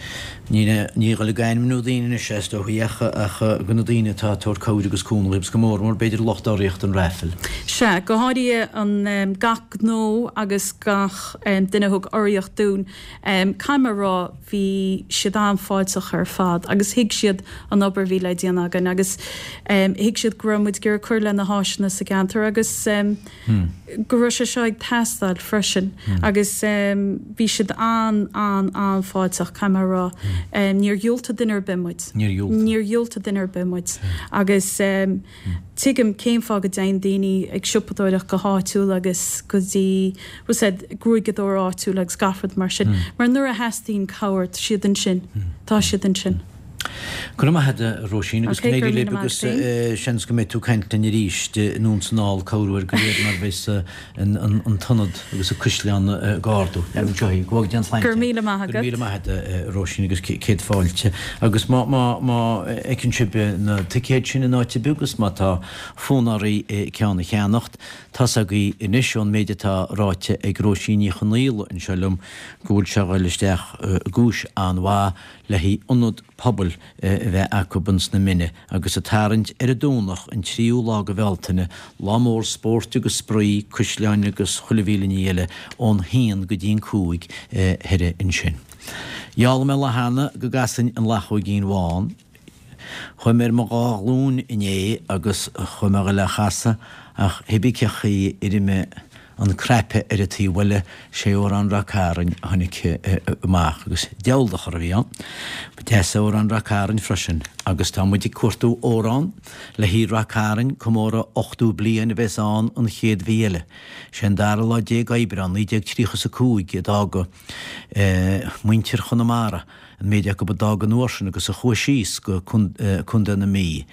Ní ní dhul ag ainmniú daoine anois is dóigh ach ach go na daoine atá ag tabhairt cabhair agus cúnamh agus go mór mór b'fhéidir lucht urraíochta an raifil. Sea, go háirithe an gach gnó agus gach duine a thug urraíocht dúinn. Caithfidh mé a rá bhí siad an-fháilteach ar fad agus thuig siad an obair a bhí le déanamh againn agus thuig siad go raibh muid ag iarraidh cur le na háiseanna sa gceantar agus go raibh sé seo ag teastáil freisin agus bhí siad an-an-an-fháilteach, caithfidh mé a rá. Níor dhiúltaigh duine ar bith muid. Níor dhiúltaigh. Níor dhiúltaigh duine ar bith muid. Agus tuigim cén fáth go dtéann daoine ag siopadóireacht go háitiúil agus go dtí, bhfuil 's a'd, gruaigeadóir áitiúil agus gach rud mar sin. Mar nuair a theastaíonn cabhair, tá siad ansin. Tá siad ansin. Go raibh maith agat, a Róisín, agus go n-éirí libh agus seans go mbeidh tú ag caint linn arís anonn 's anall corruair go léir mar a bheas an t-ionad agus an caisleán ag ardú. Anseo í, go bhfága Dia an tsláinte. Go raibh míle maith agat. Go raibh míle maith agat, a Róisín, agus céad fáilte. Agus má fheiceann sibh na ticéid sin in áit ar bith agus má tá fonn oraibh ceann a cheannacht, tá's agaibh anois ón méid atá ráite ag Róisín Ní Chonaola anseo liom go bhfuil sé a dhul isteach i gcúis an-mhaith le haghaidh ionad pobail a bheith acu ins na Mine agus ag tarraingt ar an Domhnach an tríú lá de Bhealtaine, lá mór spóirt agus spraoi, caisleáin agus chuile mhíle ní eile ón haon go dtí an cúig thoir ansin. Gheall mé an lá cheana go gcasfainn an Luchóigín Bhán. Chuaigh mé ar mo dhá ghlúin inné agus chuaigh mé a ghoil á chasadh ach cibé cén chaoi a raibh mé an cnaipe ar an taobh eile, sé Amhrán Ráth Cairn a tháinig amach agus diabhal de chor a bhí ann. Ba deas é Amhrán Ráth Cairn freisin agus tá muid ag cuartú amhrán le haghaidh Ráth Cairn, comóradh 80 bliain a bheas ann an chéad mhí eile. Sé an dara lá déag Aibreán 1935 a d'fhága muintir Chonamara, an méid acu a d'fhág an uair sin agus a chuaigh síos go Contae na Mí.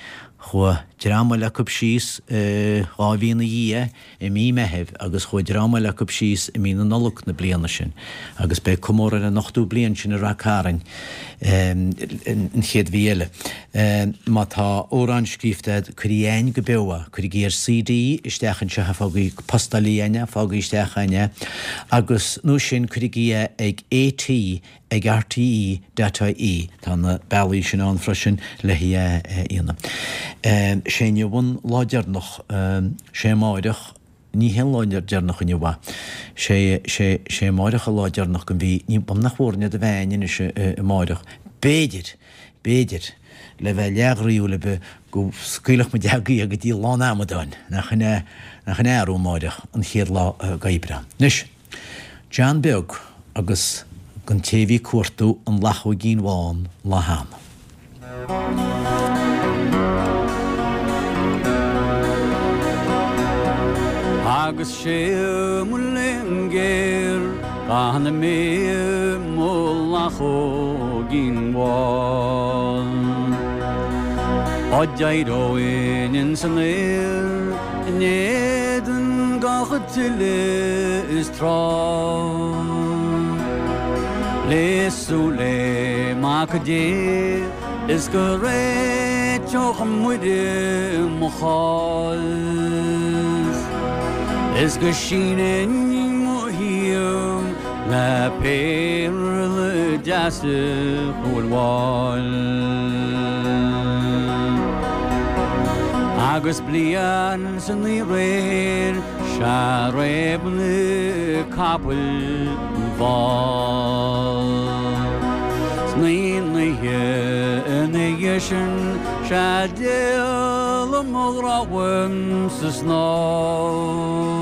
Chuaigh dream eile acu síos 2 mhí ina dhiaidh i mí Meithimh agus chuaigh dream eile acu síos i mí na Nollag na bliana sin agus beidh comóradh ar an ochtú bliain sin i Rath Cairn an chéad mhí eile. Má tá amhrán scríofa agat, cuir chugainn go beo é, cuirigí ar CD isteach anseo é, fágaigí, postálaigí chugainn é, fágaigí isteach chugainn é agus nó sin cuirigí é ag AT ag rte dot ie. Tá na bealaí sin ann freisin le hí a dhéanamh. Sé inniu an lá deireanach, sé amáireach, ní hé an lá deireanach inniu é, sé, sé, sé amáireach an lá deireanach den mhí, ní, nach bhfuair do bhean anois amáireach, b'fhéidir, b'fhéidir, le bheith leathghroíúil ar bith, go scaoilfeadh muid agaibh go dtí lá an amadáin, nach in é, nach in é arú amáireach, an chéad lá d'Aibreán. Anois. John Beag agus don té a bhí ag cuartú an lachóigín bhán lá cheana. Agus sé mo léan géar gan mé mo lachóigín bhán. Dá d'éireoinn ins an aer in éadan gach tuile is trá. Le súil le Mac Dé is go réiteodh Muire mo chás is go sínfinn mo thaobh le péarla deasa Chúil Mháil. Agus bliain 's ina réir sea réab na capaill an bhfál. 'S na oíche ina dhiaidh sin sea d'éalaigh mo ghrá uaim sa snámh.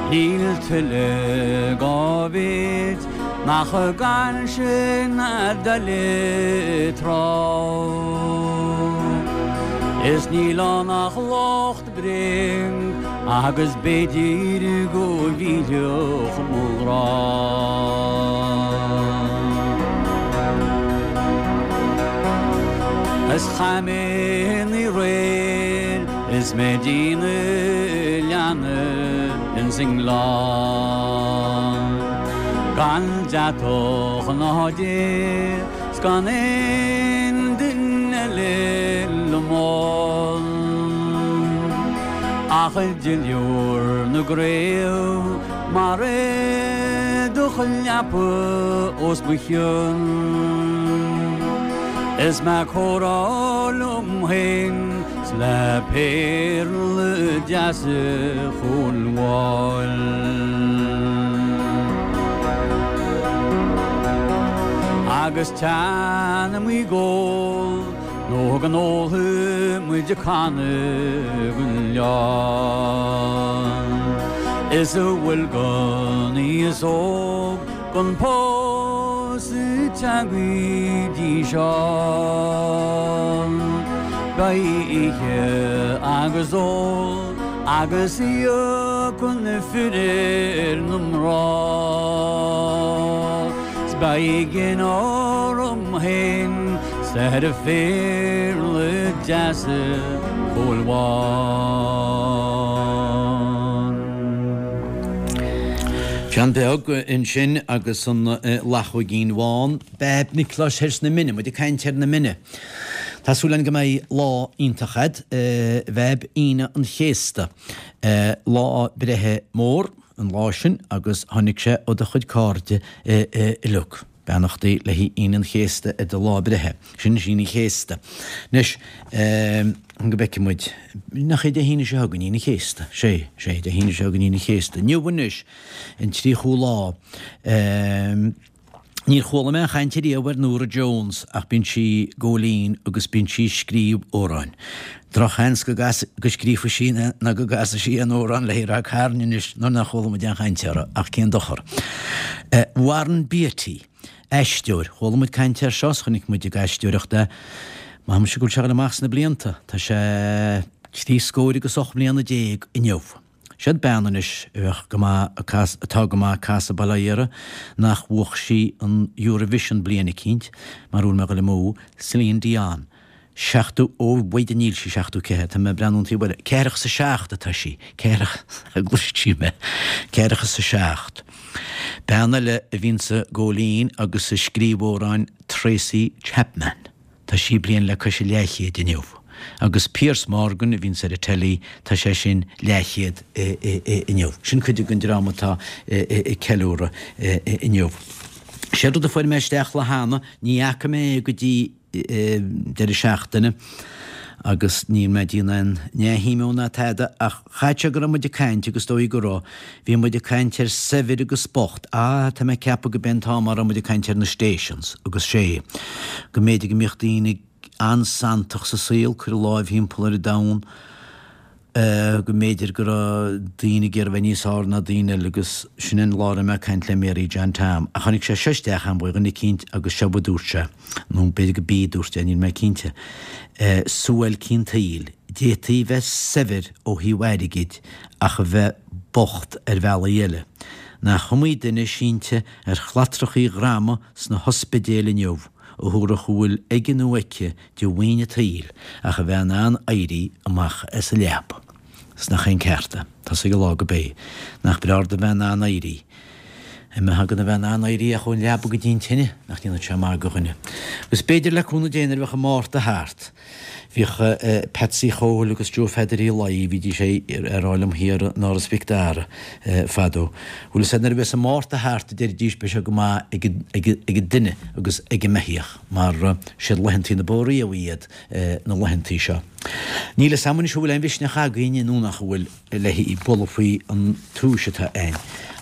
Níl tuilleadh dhá mhéid nach gan sin a d'fhoiligh tráth. Is níl ann ach locht bréag agus b'fhéidir go bhfillfeadh mo ghrá. Is chaith mé an oíche aréir is mé ag déanamh leanna ins an ngleann. Gan deatach ná dé 's gan aon duine eile liom ann ach duilliúr na gcraobh mar éadach leapa os mo chionn. Is mé ag comhrá liom féin 's le péarla deasa Chúil Mháil. Agus teann muid ag ól nó go n-ólfaidh muid canna den oileán. Is a bhfuil den aos óg gan pósadh tagtha go dtí seo. Beidh ithe agus ól agus íoc na fir ar na mná. 'S beidh gin orm féin 's ar phéarla deasa Chúil Mháil. John Beag ansin agus an Lachóigín Bhán. Beaib Niocláis thoir sna Mine, muid ag caint ar na Mine. Tá súil againn go mbeidh lá iontach a'd, Bheaib Aoine an Chéasta. Lá breithe mór an lá sin agus tháinig sé ó do chuid cairde uilig. Beannachtaí le haghaidh Aoine an Chéasta ar do lá breithe. Sin is Aoine an Chéasta. Anois, go bhfeicfidh muid. Nach é Dé hAoine seo chugainn Aoine an Chéasta? Sé, sé, Dé hAoine seo chugainn Aoine an Chéasta. Inniu anois, an tríochú lá. Níor chuala mé aon chaint ariamh ar Norah Jones ach bíonn sí ag gabháil fhoinn agus bíonn sí ag scríobh amhráin. Drochsheans go go scríobhfaidh sí ná go gcasfaidh sí aon amhrán le Ráth Cairn anois nuair nár chuala muid aon chaint uirthi, ach cén dochar. Warren Beatty, aisteoir. Chuala muid caint air seo 's chonaic muid ag aisteoireacht é. Maith mise go bhfuil sé ag dul amach sna blianta. Tá sé trí scóir agus 18 mbliana inniu. Siod bean anois a bheadh go maith ag cas, atá go maith ag casadh bail ó Dhia uirthi, nach bhuach sí an Eurovision bliain eicínt, mar bhfuil mé ag dul amú, Celine Dion. 70, ó bhfaighidh níl sí 74, tá mé ag breathnú an taobh eile, ceathracha is a seacht atá sí, ceathracha, gcloiseann sí mé, ceathracha is a seacht. Bean eile a bhíonns ag Góilín agus a scríobh amhráin Tracy Chapman. Tá sí bliain le cois an leathchéid inniu. Agus Piers Morgan a bhíonns ar an telly, tá sé sin leathchéad inniu. Sin cuid den dream atá ag ceiliúradh inniu. Séard rud a fuair mé isteach lá cheana, ní fhaca mé é go dtí deireadh seachtaine agus níl mé ag déanamh aon neamhshuim ná tada ach chaithfeadh sé go raibh muid ag caint agus dóigh go raibh, bhí muid ag caint ar saibhir agus bocht, ah tá mé ag ceapadh go b'é an t-am a raibh muid ag caint ar na stations agus sé go mb'fhéidir go mbíodh daoine an-santach sa saol, cur a láimh thimpeall ar an domhan. go mb'fhéidir go raibh daoine ag iarraidh a bheith níos fearr ná daoine eile agus sin an lá a raibh mé ag caint le Mary John Tom. Ach tháinig sé seo isteach a'm ó dhuine eicínt agus seo a dúirt sé, nó b'fhéidir go b'í a dúirt é, níl mé cinnte, suáilcí an tsaoil, d'fhéadfaí bheith saibhir ó thaobh airgid ach a bheith bocht ar bhealaí eile. Nach iomaí duine sínte ar shlatrachaí dhroma sna hospidéil inniu a thabharfadh a bhfuil aige nó aici de mhaoin an tsaoil ach a bheith in ann éirí amach as an leaba. 'S nach é an ceart é? Tá 's ag an lá go b'é. Nach breá ort a bheith in ann éirí. A mbeadh agat a bheith in ann éirí ach ón leaba go dtí an tine, nach ndéanfadh sé maith do dhuine. Agus b'fhéidir le cúnamh Dé nuair a bheadh an Márta thart, bhíodh Patsy Chóil agus Joe Pheadair Uí Laoi, bhídís ag rá liom thiar in Áras Mhic Dara fadó, bhfuil 'fhios a'd nuair a bheas an Márta thart a deiridís beidh sé go maith ag an duine agus ag an mbeithíoch. mar siad laethantaí na bó riabhaí iad na laethantaí seo. Níl fhios a'm anois an bhfuil aon mhisneach againn nó nach bhfuil le bualadh faoi an túis atá a'inn.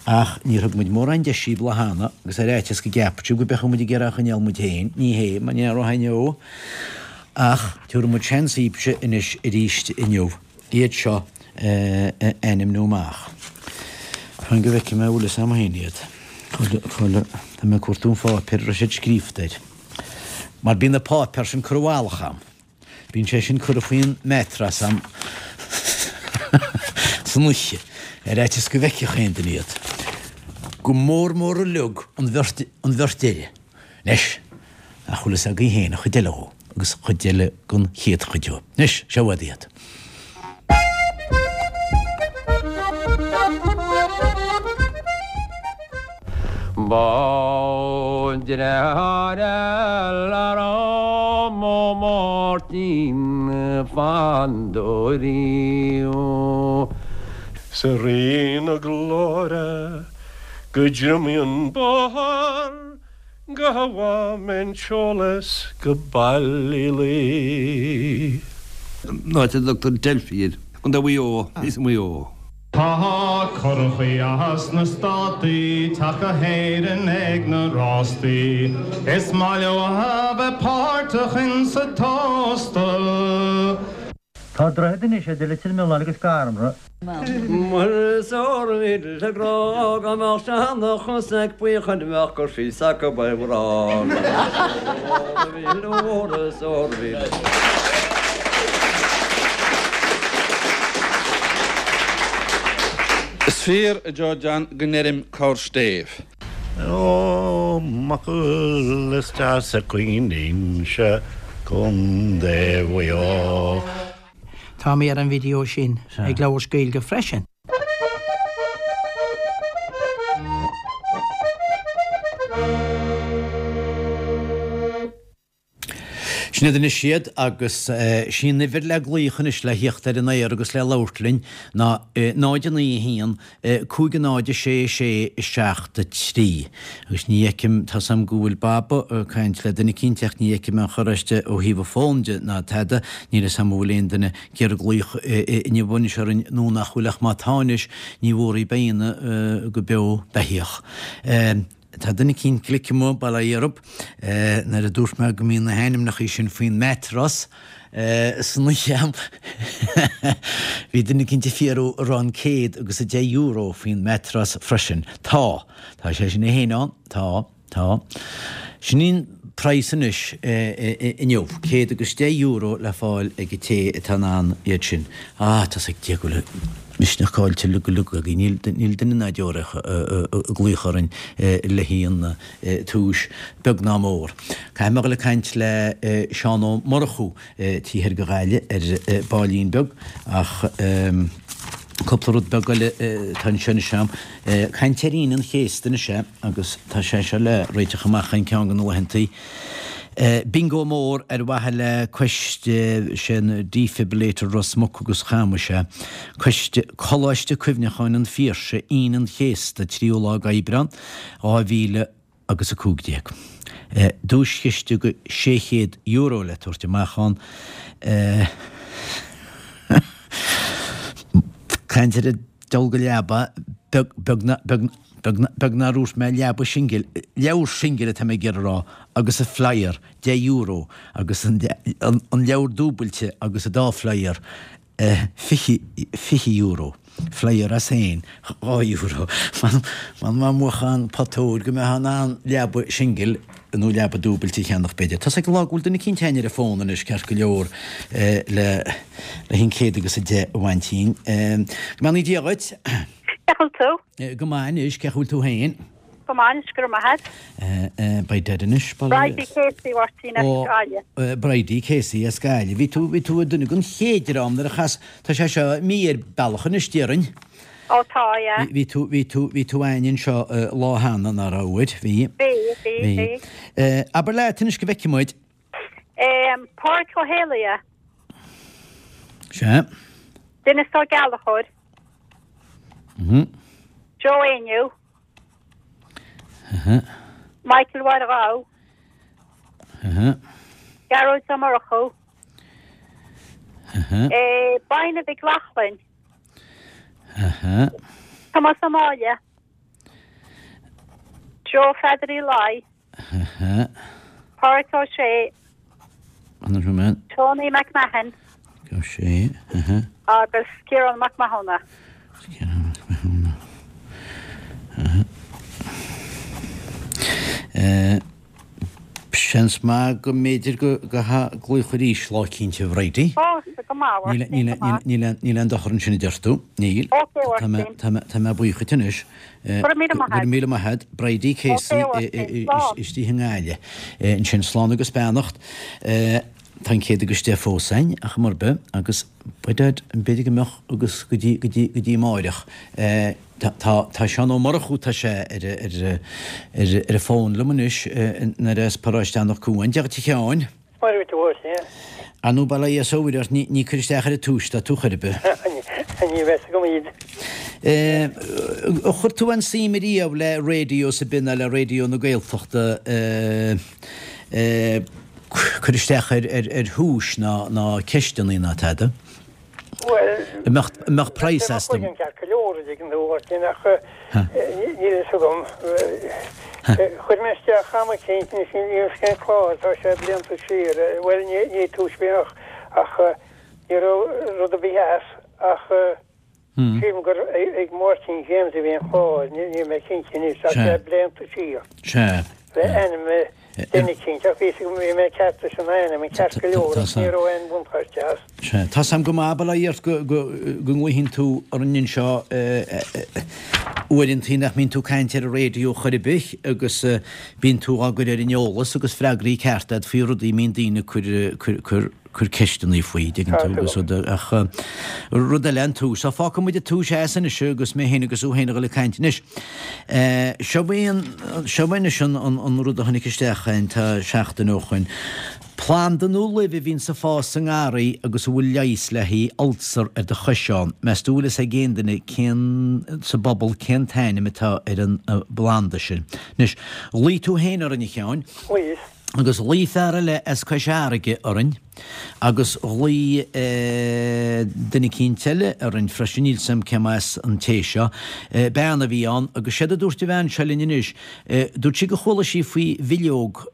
Ach níor thug muid mórán deis daoibh lá cheana agus ar fhaitíos go gceapfadh sibh go mbeadh muid ag iarraidh a choinneáil muid féin, ní hé, mar ní raibh inniu. Ach tabharfaidh muid seans daoibhse anois arís inniu. iad seo a ainmniú amach. Fan go bhfeicfidh mé an bhfuil fhios a'm féin iad. Chuile, tá mé ag cuartú an pháipéir a raibh siad scríofa air. Mar bíonn na páipéir sin curtha i bhfalach a'm. Bíonn sé sin curtha faoin mattress a'm san oíche, ar fhaitíos go bhfeicfeadh aon duine iad. Go mór mór uilig an bheirt, an bheirt deiridh. Anois, nach bhfuil fhios agaibh féin an chuid eile dhó, agus an chuid eile den chéad chuid dhó. Anois, seo uaibh iad. Ba dreatháir eile raibh mo Mháirtín Fandóirí. 'S a Rí na Glóire go dtriomaíonn bóthar go bhfaighidh mé an t-eolas go Ballylee. An áit a dtugtar Delphi air. Contae Mhaigh Eo, thíos i Maigh Eo. Tá curachaí as na Státaí teacht go hÉirinn ag na rástaí. Is maith leo a bheith páirteach insa tóstal. Tá droichead anois idir Leitir Mealláin agus Garmra. Muire 's ór mhíle grá dá mbeadh seanchas ag buíochan bheadh cur síos acu ar mhrá Ór mhíle ór 's ór mhíle. Is fíor, a Joe John, go ndeirim corr-stéibh. Ó Mucaill is deas a Cluain Inse, Contae Mhaigh Eo. Tá mé ar an video sin ag labhairt Gaeilge freisin. Sin iad anois iad agus sí an uimhir le glaoch anois le thíocht ar an aer agus le labhairt linn ná 0 9 1 5 0 6 6 7 3. Agus ní fheicim, tá's a'm go bhfuil Baba ag caint le duine eicínt ach ní fheicim aon chor aisti ó thaobh an fón de ná tada, níl fhios a'm an bhfuil aon duine ag iarraidh glaoch inniu anois orainn nó nach bhfuil ach má tá anois ní bhuarfaidh éinne go beo beithíoch. Tá duine eicínt glic amuigh, bail ó Dhia orthub, nuair a dúirt mé go mbíonn na hainmneacha sin faoin mattress san oíche a'm. Bhí duine eicínt ag fiafraí an raibh an €110 faoin mattress freisin. Tá. Tá sé sin é fhéin ann. Tá. Tá. Sin í an praghas anois inniu, €110 le fáil ag an té atá in ann iad sin. Ah, tá's ag Dia go bhfuil. Misneach caillte uilig uilig againn. Níl níl duine ná deoraíoch ag glaoch orainn le haghaidh an túis, beag ná mór. Caithfidh mé a dhul ag caint le Seán Ó Murchú taobh thoir de Ghaillimh ar baillín beag ach cúpla rud beag eile atá anseo anois a'm. Caint ar Aoine an Chéasta anois é agus tá sé seo le réiteach amach in ceann de na laethantaí. Bingo mór ar mhaithe le coiste sin Defibrillator Ros Muc agus Chamuis é. Coiste Coláiste Cuimhneacháin an Phiarsaigh, Aoine an Chéasta, 3ú lá d'Aibreán, 2000 agus 15. Duaischiste go €600 le tabhairt amach ann. Caint ar dul go leaba, beag, beag, beag, beag, beag nár dhúirt mé leaba singil, leabhar singil atá mé ag iarraidh a rá, agus an flyer, €10, agus an, an, an leabhar dúbailte agus an dá flyer, €20, flyer as féin, €2. M'anam má bhuafá an pota óir go mbeifeá in ann leaba singil nó leaba dúbailte a cheannach b'fhéidir. Tá's ag an lá go bhfuil duine eicínt againn ar an bhfón anois ceart go leor le le an 110 a bhaint dínn. Go mbeannaí Dia dhuit. Cén chaoi a bhfuil tú? Go maith anois, cén chaoi a bhfuil tú féin? Go maith anois, go raibh maith agat. Beidh dead anois. Bridie Casey, a Mháirtín, as Gaillimh. Bridie Casey as Gaillimh. Bhí tú, bhí tú ar duine den chéad dream nuair a chas, tá sé seo mí ar bealach anois déarfainn. Ó tá, yeah. Bhí tú, bhí tú, bhí tú againn anseo lá cheana, nach raibh, uair? Bhí. Bhí, bhí, bhí. Abair leat anois go bhfeicfidh muid. Pádraig Ó Héalaithe. Sea. Denis Ó Gallchóir. Joe Éinniú. Michael Mháire Ghabh. Gearóid Ó Murchú. Baina Mhic Lochlainn. Tomás Ó Máille. Joe Pheadair Uí Laoi. Pádraic Ó Sé. Tony McMahon. Agus Ciarán Mac Mathúna. Seans maith go mb'fhéidir go glaoch arís lá eicínt a Bhridie. Ó, go maith, a Mháirtín, go maith. Níl aon dochar ansin a deir tú. Níl. Ok, a Mháirtín. Tá mé buíoch duit anois. Go raibh míle maith agat. Go raibh míle maith agat. Bridie Casey istigh i nGaillimh. Ansin slán agus beannacht. Tá an 110 fós againn ach mar bith agus b'fhéidir go mbeadh agus go dtí go dtí go dtí amáireach. Tá tá Seán Ó Murchú tá sé ar ar ar ar an bhfón liom anois nuair as Paróiste Anach Cuain. Dia dhuit a Sheáin. Maire duit a Mháirtín. Ar ndóigh bail ó Dhia is ó Mhuire ort, ní cur isteach ar an túis atá tú chor ar bith. Ní bheas agam iad. Ar chuir tú aon suim ariamh le raidió ar bith ná le Raidió na Gaeltachta cur isteach ar thuais ná ceisteanna ná tada? Bhuel, An mbeadh praghas astu? Bheadh ceart go leor a dtuigeann tú, a Mháirtín, ach níl fhios agam. Chuir mé isteach am eicínt, níl fhios cén clár, tá sé blianta siar, bhuel, ní túis bith ach ní raibh rud ar bith as ach sílim gur ag Máirtín James a bhí an clár, níl mé cinnte anois, tá sé blianta siar. Sea. Le ainm duine eicínt ach bhí bhí mé ceart leis an ainm, an ceart go leor ach ní raibh aon bhuntáiste as. Sea. Tá's a'm go maith, bail ó Dhia ort, go, go, go nglaoigheann tú orainn anseo uaireantaí nach mbíonn tú ag caint ar an raidió chor ar bith agus bíonn tú á gcur ar an eolas agus freagraí cearta a'd faoi rudaí a mbíonn daoine ag cur, cur, cur, cur ceisteanna faoi, dtuigeann tú, agus rud, ach rud eile an tús. Á, fágfaidh muid an tús as anois agus mé féin agus thú féin a dhul ag caint anois. Seo é an, seo é anois an, an, an rud a tháinig isteach againn tá seachtain ó shoin. Planda nó luibh a bhíonns ag fás sa ngarraí agus a bhfuil leigheas le haghaidh ulcer ar do chois ann. Meas tú bhfuil fhios ag aon duine cén, sa bpobal cén t-ainm atá ar an bplanda sin. Anois, ghlaoigh tú féin orainn a Sheáin. Ghlaoigh. Agus ghlaoigh fear eile as Cois Fharraige orainn agus ghlaoigh duine eicínt eile orainn freisin, níl 's a'm cé as an té seo, bean a bhí ann agus séard a dúirt an bhean seo linn anois, dúirt sí gur chuala sí faoi bhileog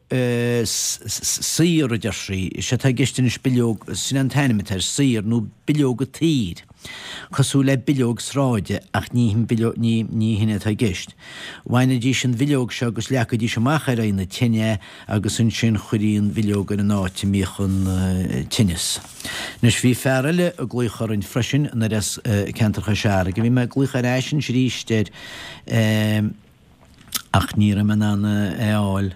saor a deir sí, sé atá i gceist anois bileog, sin an t-ainm atá air, saor nó bileoga tsaoir. Cosúil le bileog sráide ach ní hin bileog, ní, ní hin atá i gceist. Bhainidís an bhileog seo agus leagaidís amach ar aghaidh na tine é agus ansin chuirí an bhileog ar an áit a mbíodh an tinneas. Anois bhí fear eile ag glaoch orainn freisin anoir as ceantar Chois Fharraige. Bhí mé ag glaoch ar ais anois arís air ach ní raibh mé in ann é a fháil.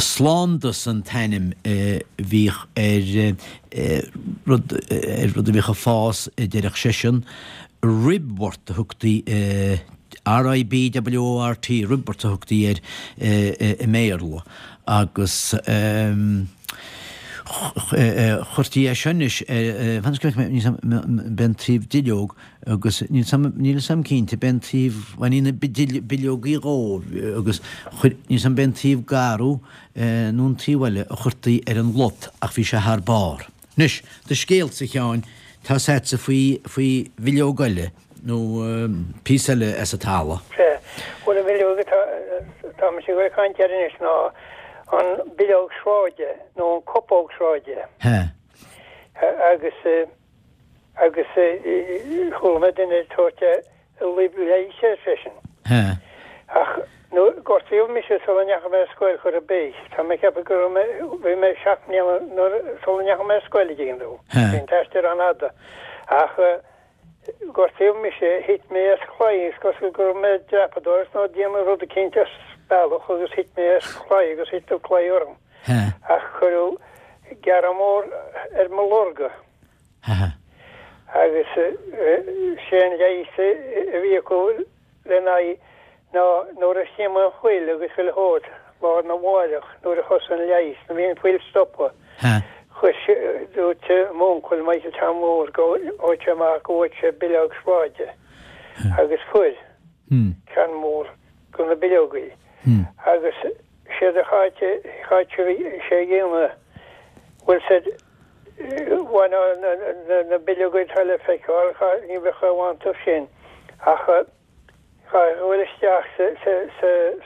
Slándas an t-ainm a bhíodh ar rud, ar rud a bhíodh ag fás, a deireadh seisean. Ribwort a thugtaí, R-I-B-W-O-R-T, ribwort a thugtaí air i mBéarla agus chuirtí é seo anois ar, fan go bhfeicfidh mé, b'é an taobh duilleog agus níl 'fhios a'm cinnte, b'é an taobh, bhainní na bileogaí dhó agus chuir, níl 'fhios a'm b'é an taobh garbh nó an taobh eile a chuirtí ar an lot ach bhí sé thar barr. Anois, do scéalsa, a Sheáin, tá 's a'dsa faoi, faoi bhileog eile nó píosa eile as an talamh. Sea. Bhuel, an bhileog atá, atá mise ag dul ag caint air anois ná an bileog sráide nó an cupóg sráide. He. Agus, agus chuala mé duine ag tabhairt luib leighis air freisin. He. Ach nuair gortaíodh mise sula ndeachaigh mé ar scoil chor ar bith, tá mé ag ceapadh go raibh mé, bhí mé seacht mbliana nuair, sula ndeachaigh mé ar scoil a dtuigeann tú. He. Bhí an t-aistear an-fhada. Ach gortaíodh mise, thit mé as claí, is cosúil go raibh mé ag dreapadóireacht nó ag déanamh rud eicínt as bealach agus thit mé as claí agus thit an claí orm. He. Ach cuireadh gearradh mór ar mo lorga. He. Agus sé an leigheas a bhí acu lena aghaidh ná nuair a chrom an fuil agus chuile shórt lá arna mháireach nuair a thosaigh an leigheas, nuair a bhí an fuil stoptha, chuir sé, dúirt m'uncail Michael Tom Mór go bhfaigheadh sé amach go bhfaigheadh sé bileog sráide agus fuair ceann mór de na bileogaí agus séard a chaith sé a dhéanamh, bhuel said, Bhain na bileogaí atá le feiceáil, ní bheadh aon mhaith iontu sin ach chaithfeá a ghoil isteach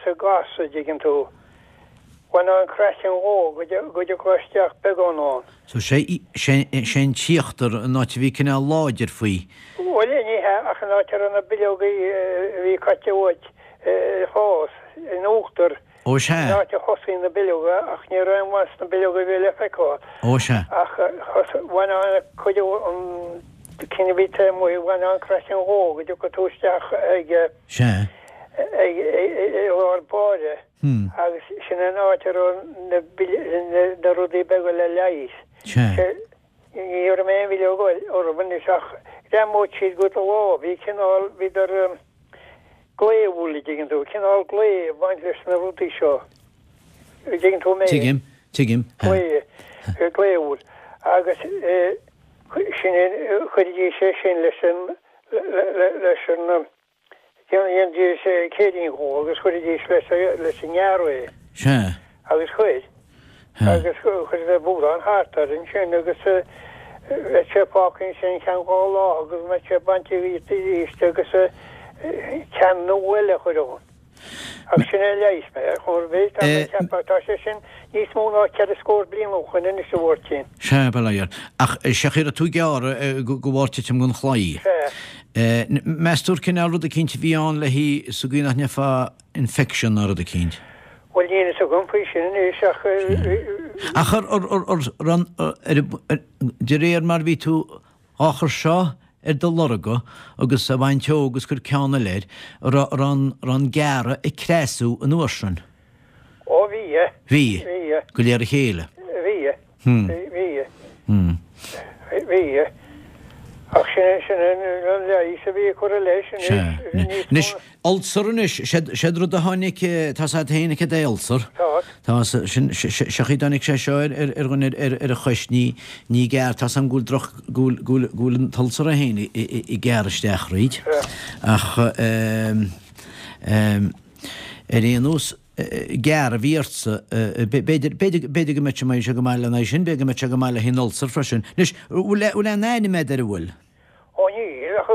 sa gas, a dtuigeann tú. Bhain an craiceann dhó go dtiocfá isteach beagán ann. So sé an t-íochtar, an áit a bhí cineál láidir faoi. Bhuel, ní hea, ach an áit a raibh na bileogaí a bhí caite uait ag fás, in uachtar. Ó sea. An áit a thosaíonn na bileoga, ach ní raibh aon mhaith sna bileoga a bhí le feiceáil. Ó sea. Ach bhain an cuid an cinn a bhí taobh amuigh, bhain an craiceann dhó go dtiocfadh tú isteach ag Sea. ag i lár báire agus sin an áit a raibh na na rudaí beaga le leigheas. Sea. Ní raibh aon bhileog orthu anois ach ghreamódh siad go do lámh, bhí cineál, bhíodar glao, a dtuigeann tú, cineál glao ag baint leis na rudaí seo, a dtuigeann tú mé? Tuigim, tuigim. Glao, glao agus sin é, chuiridís é sin leis an, leis an, Dhéanaidís céirín dhó agus chuiridís leis an ngearradh é. Sea. Agus chuir. Agus chuireadar búrán thart air ansin agus bheadh sé fágtha ansin ceann dhá lá agus mbeadh sé bainte dhíot arís agus ceann nua eile a chur ann. Agus sin é a leigheas mé ar chor ar bith. Tá mé ag ceapadh, tá sé sin níos mó ná ceithre scór bliain ó shoin anois a Mháirtín. Sea, bail ó Dhia ort. Ach sé chaoi a raibh tú gearrtha de bharr titim den chlaí. Sea. Meas tú ar cineál rud eicínt a bhí ann léi sa gcaoi nach ngeofá infection ná rud eicínt? Bhuel, níl fhios agam faoi sin anois ach. Ach ar, ar, ar, ar, ar, de réir mar bhí tú á chur seo ar do lorga agus á bhaint dhó agus cur ceann eile air, an raibh an raibh an gearradh ag creasú an uair sin? Ó bhí. Bhí. Bhí. Go léir a chéile. Bhí. Bhí. Bhí. Ach sin sin an leigheas a bhí curtha leis anois. Anois, ulcer anois, séard rud a tháinig, tá's a'd féin cad é ulcer. Tá. Tá, sin, sé chaoi a dtáinig sé seo ar ar dhuine ar ar a chois, ní ní gearr, tá's a'm go bhfuil droch, go bhfuil go bhfuil go bhfuil an t-ulcer é féin ag gearradh isteach thríd. Ach ehm ehm ar aon nós, gearradh a bhí ortsa, b'fhéidir, b'fhéidir, b'fhéidir go mbeadh sé, mbeadh sé go maith lena aghaidh sin, b'fhéidir go mbeadh sé go maith le haghaidh an ulcer freisin. Anois, bhfuil, bhfuil aon ainm agat air, an bhfuil? Ó níl, ach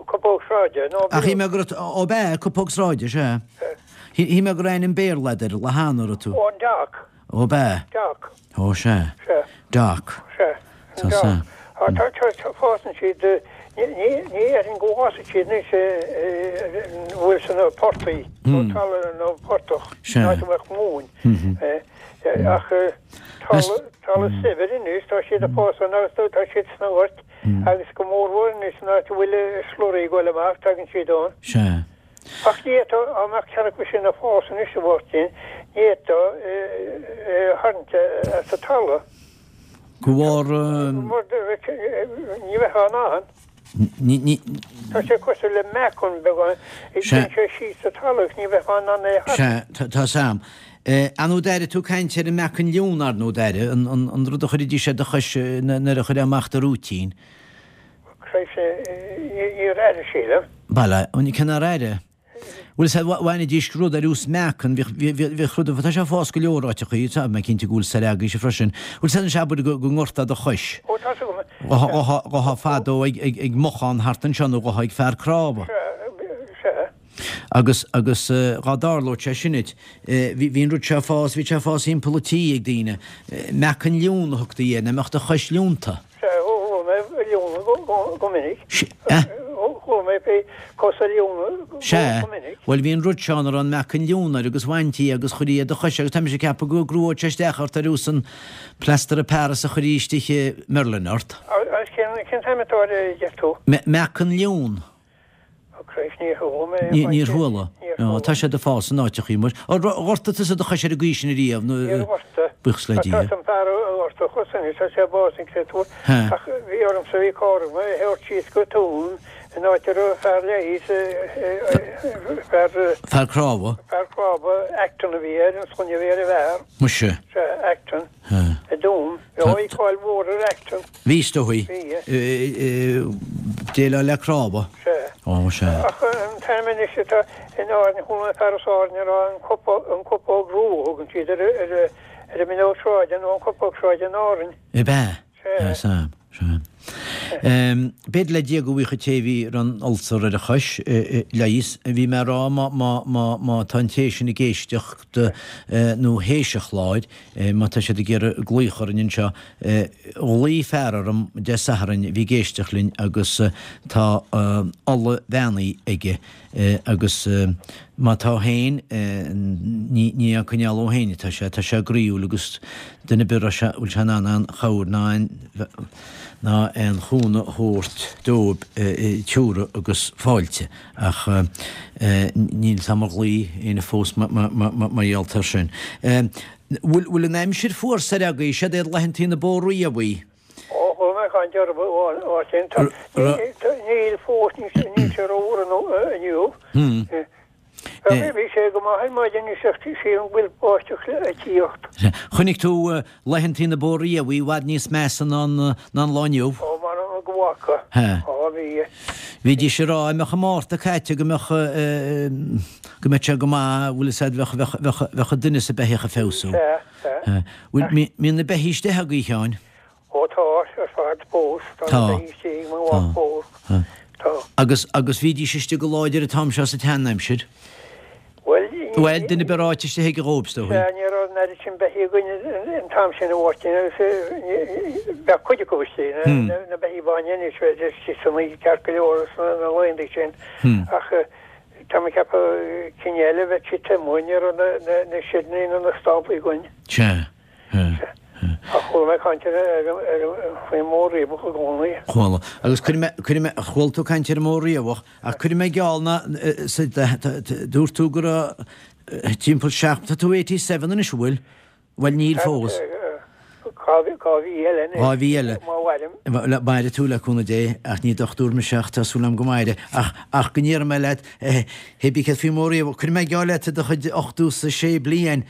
cupóg sráide, nó Ach shíl mé go raibh, ó b'ea, cupóg sráide, sea. Shíl mé go raibh ainm Béarla agat air, le hAnna, raibh tú? Ó, an dock. Ó b'ea. Dock. Ó sea. Sea. Dock. Sea. Tá sea. Tá, tá, fásann siad, ní dhéarfainn go bhfásfaidh siad anois bhfuil sna portaigh, nó talamh nó portach, in áit a mbeadh móin. Ach talamh saibhir anois, tá siad ag fás ann agus tá siad sna goirt agus go mórmhór anois in áit a bhfuil slurry ag dul amach, tagann siad ann. Sea. Ach ní fhéadfá, dá mbeadh ceann acu sin ag fás anois a Mháirtín, ní fhéadfá é a tharraingt as an talamh. Go bharr. Ní bheifeá in ann. Ní. Tá sé cosúil le meacan beagán. Téann sé síos sa talamh, ní bheifeá in ann é a tharraingt. Sea, tá 's a'm. Ar ndóigh d'airigh tú caint ar an meacan liún, ar ndóigh d'airigh, an rud a chuiridís ar do chois nuair a chuirfeá amach do rúitín. Christ, níor airigh, sílim. Bhuel, cé nár airigh? Bhuel, sea, bhainidís rud ar nós meacan, bhíodh rud, tá sé ag fás go leor áiteachaí, tá mé cinnte go bhfuil soir agaibhse freisin. Bhuel, sea, anois abair go ngortá do chois. Ó, tá 's agam. Ghabhfá fadó ag mochán thart anseo nó ghabhfá ag fear crámha. Sea, sea. Agus, agus dhá dtarlódh sé sin duit, bhí, bhí an rud seo ag fás, bhí sé ag fás thimpeall an tí ag daoine. Meacan liún a thugtaí air, nach mbeadh do chois liúnta. Sea, chuala mé liúnadh go minic. Sea. Chuala mé fé cosa liúnadh go Sea. minic. Bhuel, bhí an rud seo ann a raibh an meacan liún air agus bhaintí é agus chuirí ar do chois agus tá mise ag ceapadh go gcruódh sé isteach ort ar nós an plaster of Paris a chuirí istigh i Merlin ort. Agus cén t-ainm atá air a deir tú? Meacan liún. Christ, níor chuala mé. Níor chuala. No, tá siad ag fás in áiteachaí muis. Ar ghortaigh tusa do chois ar an gcaoi sin ariamh? Níor ghortaigh. Buíochas le Dia. Tá an fear a ghortaigh a chos anois, tá sé básaithe créatúr. Ach bhí ormsa, bhí cara agam, é a thabhairt síos go Tuaim in áit a raibh fear leighis, fear. Fear crámha. Fear crámha, Acton a bhí air, an sloinne a bhí ar an bhfear. Muise. Sea, Acton. I dTuaim. Bhí cáil mhór ar Acton. Bhí, is dóigh. Déileáil le crámha. Sea. Ó, sea. Ach an t-ainm anois atá in Árainn, chuala mé fear as Árainn ag rá an cupóg rua a thugann siad ar an mbileog sráide nó an cupóg sráide in Árainn. Ab ea? Sea. Sea, sea. B'fhéidir le Dia go bhfaigheadh an té a bhí ar an ulcer ar a chois leigheas. Bhí mé ag rá má tá an té sin ag éisteacht nó théis an chláir, má tá siad ag iarraidh glaoch orainn anseo, ghlaoigh fear orm Dé Sathairn a bhí ag éisteacht linn agus tá ola bheannaithe aige agus má tá féin, ní á coinneáil dhó féin atá sé, tá sé groíúil agus duine ar bith a bhfuil sé in ann aon chabhair ná aon ná aon chúnamh a thabhairt dóibh tiúra agus fáilte. Ach níl 's a'm ar ghlaoigh éinne fós mar gheall air sin. Bhfuil an aimsir fuar soir agaibh? Siad iad laethantaí na bó riabhaí. Ó, chuala mé caint orthu mar sin. Níl fós, níl sé rófhuar inniu. Bhí sé go maith ar maidin is ach sílim go bhfuil báisteach le tíocht. Chonaic tú laethantaí na bó riabhaí i bhfad níos measa ná an lá inniu. Ó, m'anam go bhfaca. Ó, bhí. Bhídís ag rá, a mbeadh an Márta caite go mbeadh, go mbeadh sé go maith, bhfuil fhios a'd, bheadh, bheadh, bheadh, bheadh an duine is an beithíoch ag feabhsú. Sea, sea. Bhfuil, mbíonn na beithígh istigh agaibh, a Sheáin? Ó tá, ar fad fós, tá na Tá. beithígh istigh ag mo mhac fós. Tá. Tá. Agus, agus bhídís istigh go láidir an t-am seo sa tseanaimsir? Bhuel, ní, Bhuel, duine ar bith ráite istigh aige dhóibh, is dóigh. Sea, ní raibh an oiread sin beithígh againn an t-am sin a Mháirtín agus bheadh cuid acu istigh, na beithígh bainne anois, bheadh istigh san oíche ceart go leor sna laethanta sin ach tá mé ag ceapadh cinn eile bheadh siad taobh amuigh, ní raibh na seideanna ná na stáblaí againn. Sea, sea, sea. Ach chuala mé caint ar, ar, ar, faoin mbó riabhach i gcónaí. Chuala. Agus cuirfidh mé, cuirfidh mé, chuala tú caint ar an mbó riabhach Ach cuirfidh mé geall ná, dúirt tú go raibh timpeall seacht, tá tú 87 anois, an bhfuil? Bhuel, níl fós. Dhá mhí eile anois. Dhá mhí eile. Má mhairim. Mairfidh tú le cúnamh Dé, ach ní dochtúir mise ach tá súil agam go mairfidh. Ach, ach go ndéarfaidh mé leat, hé bí céard faoin mbó riabhach, cuirfidh mé geall leat i do chuid 86 bliain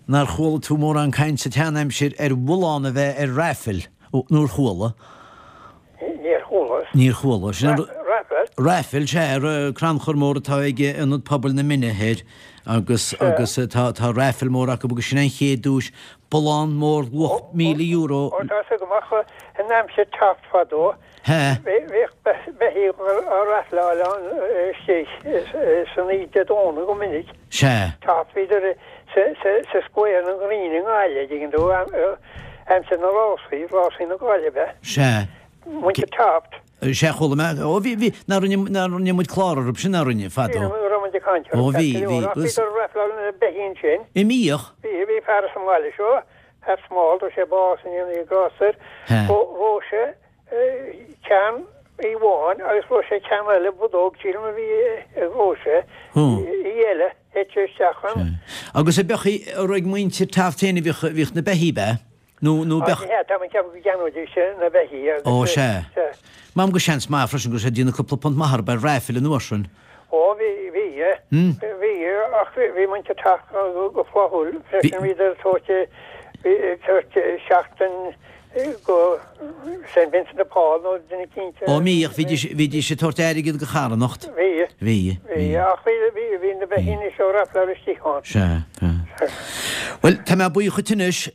nár chuala tú mórán caint sa tseanaimsir ar bhullán a bheith ar raifil, nó ar chuala? Níor chuala. Níor chuala. Sin an. Raifil? Raifil, sea, crannchur mór atá ag Ionad Pobail na Mine Thoir agus, agus tá, tá raifil mór acu agus sin an chéad duais, bullán mór luach €1,000. Ó, tá 'fhios agam ach in aimsir Taft fadó, bhíodh beithígh á raifleáil ann istigh san oíche Dé Domhnaigh go minic. Sea. Taft, bhíodar sa Square na Green i nGaillimh, dtuigeann tú, aimsir na rásaí, rásaí na Gaillimhe. Sea. Muintir Taft. Sea, chuala mé, ó bhí, bhí, nach rinne, nach rinne muid clár orthu sin, nach rinne, fadó? Bhí, raibh muid ag caint orthu, Ó bhí, bhí. Ach bhíodar ag raifleáil na beithí ansin. An mbíodh? Bhí, bhí fear as an mbaile seo, Pat Small, tá sé bás i ndéanaí grásta air, raibh sé ceann amháin agus raibh sé ceann eile, budóg, sílim a bhí raibh sé, í eile, thit sé isteach ann. Agus an b'eadh í, a raibh ag muintir Taft féin a bhíodh, bhíodh na beithí, ab ea? Nó, nó b'eadh. Sea, tá mé ag ceapadh go gceannóidís na beithí agus. Ó, sea. Sea. M'anam go seans maith freisin go raibh sé ag déanamh cúpla punt maith orthu ar raifil an uair sin. Ó, bhí, bhí, bhí, ach bhí muintir Taft go flaithiúil freisin, bhíodar ag tabhairt, bhí, ag tabhairt seachtain go St. Vincent de Paul nó duine eicínt. Ó, mbíodh, bhídís, bhídís ag tabhairt airgead go charthanacht. Bhí. Bhí, bhí. Ach bhí, bhí, bhí na beithígh seo ag raifleáil istigh ann. Sea, sea. Bhuel, tá mé buíoch dhuit anois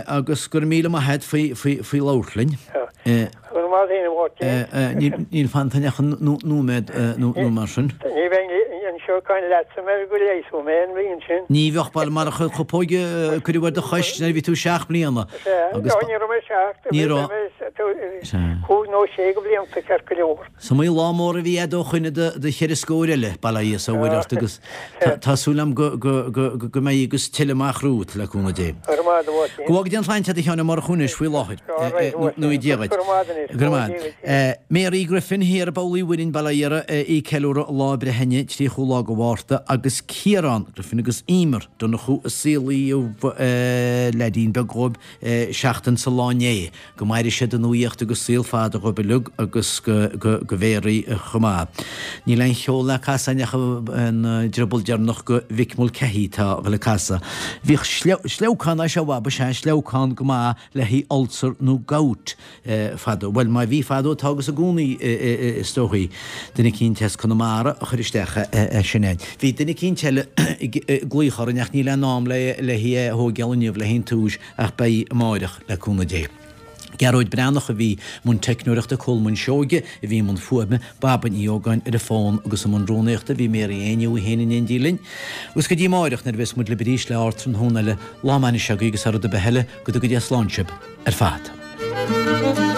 agus go raibh míle maith agat faoi, faoi, faoi labhairt linn. Go raibh maith agat a Mháirtín. Níl fanta ach nóiméad nó mar sin. Ní bheinn anseo ag caint leatsa mura go leigheasfadh mé an bhliain sin. Ní bheadh, bhuel, mar a chupóg a cuireadh ar do chois nuair a bhí tú seacht mbliana. Sea, ní raibh mé seacht, Ní raibh. cúig nó sé de bhlianta ceart go leor. Is iomaí lá mór a bhí a'd ó shoin do cheithre scór eile, bail ó Dhia 's ó Mhuire ort agus tá súil a'm go mbeidh agus tuilleadh amach romhat, le cúnamh Dé. Go raibh maith agat, a Mháirtín. Go bhfága Dia an tsláinte agat a Sheáin Ó Murchú anois faoi láthair. Nó Dia dhuit. Go raibh maith agat anois. Go raibh maith agat. Mary Griffin thiar i bPoll Uí Mhuirinn, Baile Iara, í ag ceiliúradh a lá breithe inniu, 30ú lá de Mhárta, agus Ciarán Griffin agus Emer Donnchú a saolaíodh leaidín beag dhóibh seachtain sa lá inné. Go maire siad i nuaíocht agus saol fada dhóibh uilig agus go go Mary chomh maith. Níl aon cheol le casadh ach an drioball deireanach go Mhick Mulcahy atá a dhul le casadh. Bhíodh sleabhcán é seo ba sea sleabhcán go maith le haghaidh ulcer nó gout fadó. Bhuel má bhí fadó tá agus i gcónaí is dóichí. Duine eicínt as Conamara a chuir isteach é sin é. Bhí duine eicínt eile ag glaoch orainn ach níl aon am le le hé a thóigeáil inniu le haghaidh an túis ach beidh amáireach, le cúnamh Dé. Gearóid Breathnach a bhí i mbun teicneoireachta, Colmán Seoige a bhí i mbun fuaime, Baba Ní Ógáin ar an bhfón agus i mbun rúnaíochta bhí Mary Éinniú í féin in éindí linn. Agus go dtí amáireach nuair a bheas muid libh arís le Ardtráthnóna eile, lá maith anois agaibh agus thar rud ar bith eile, go dtuga Dia slán sibh ar fad.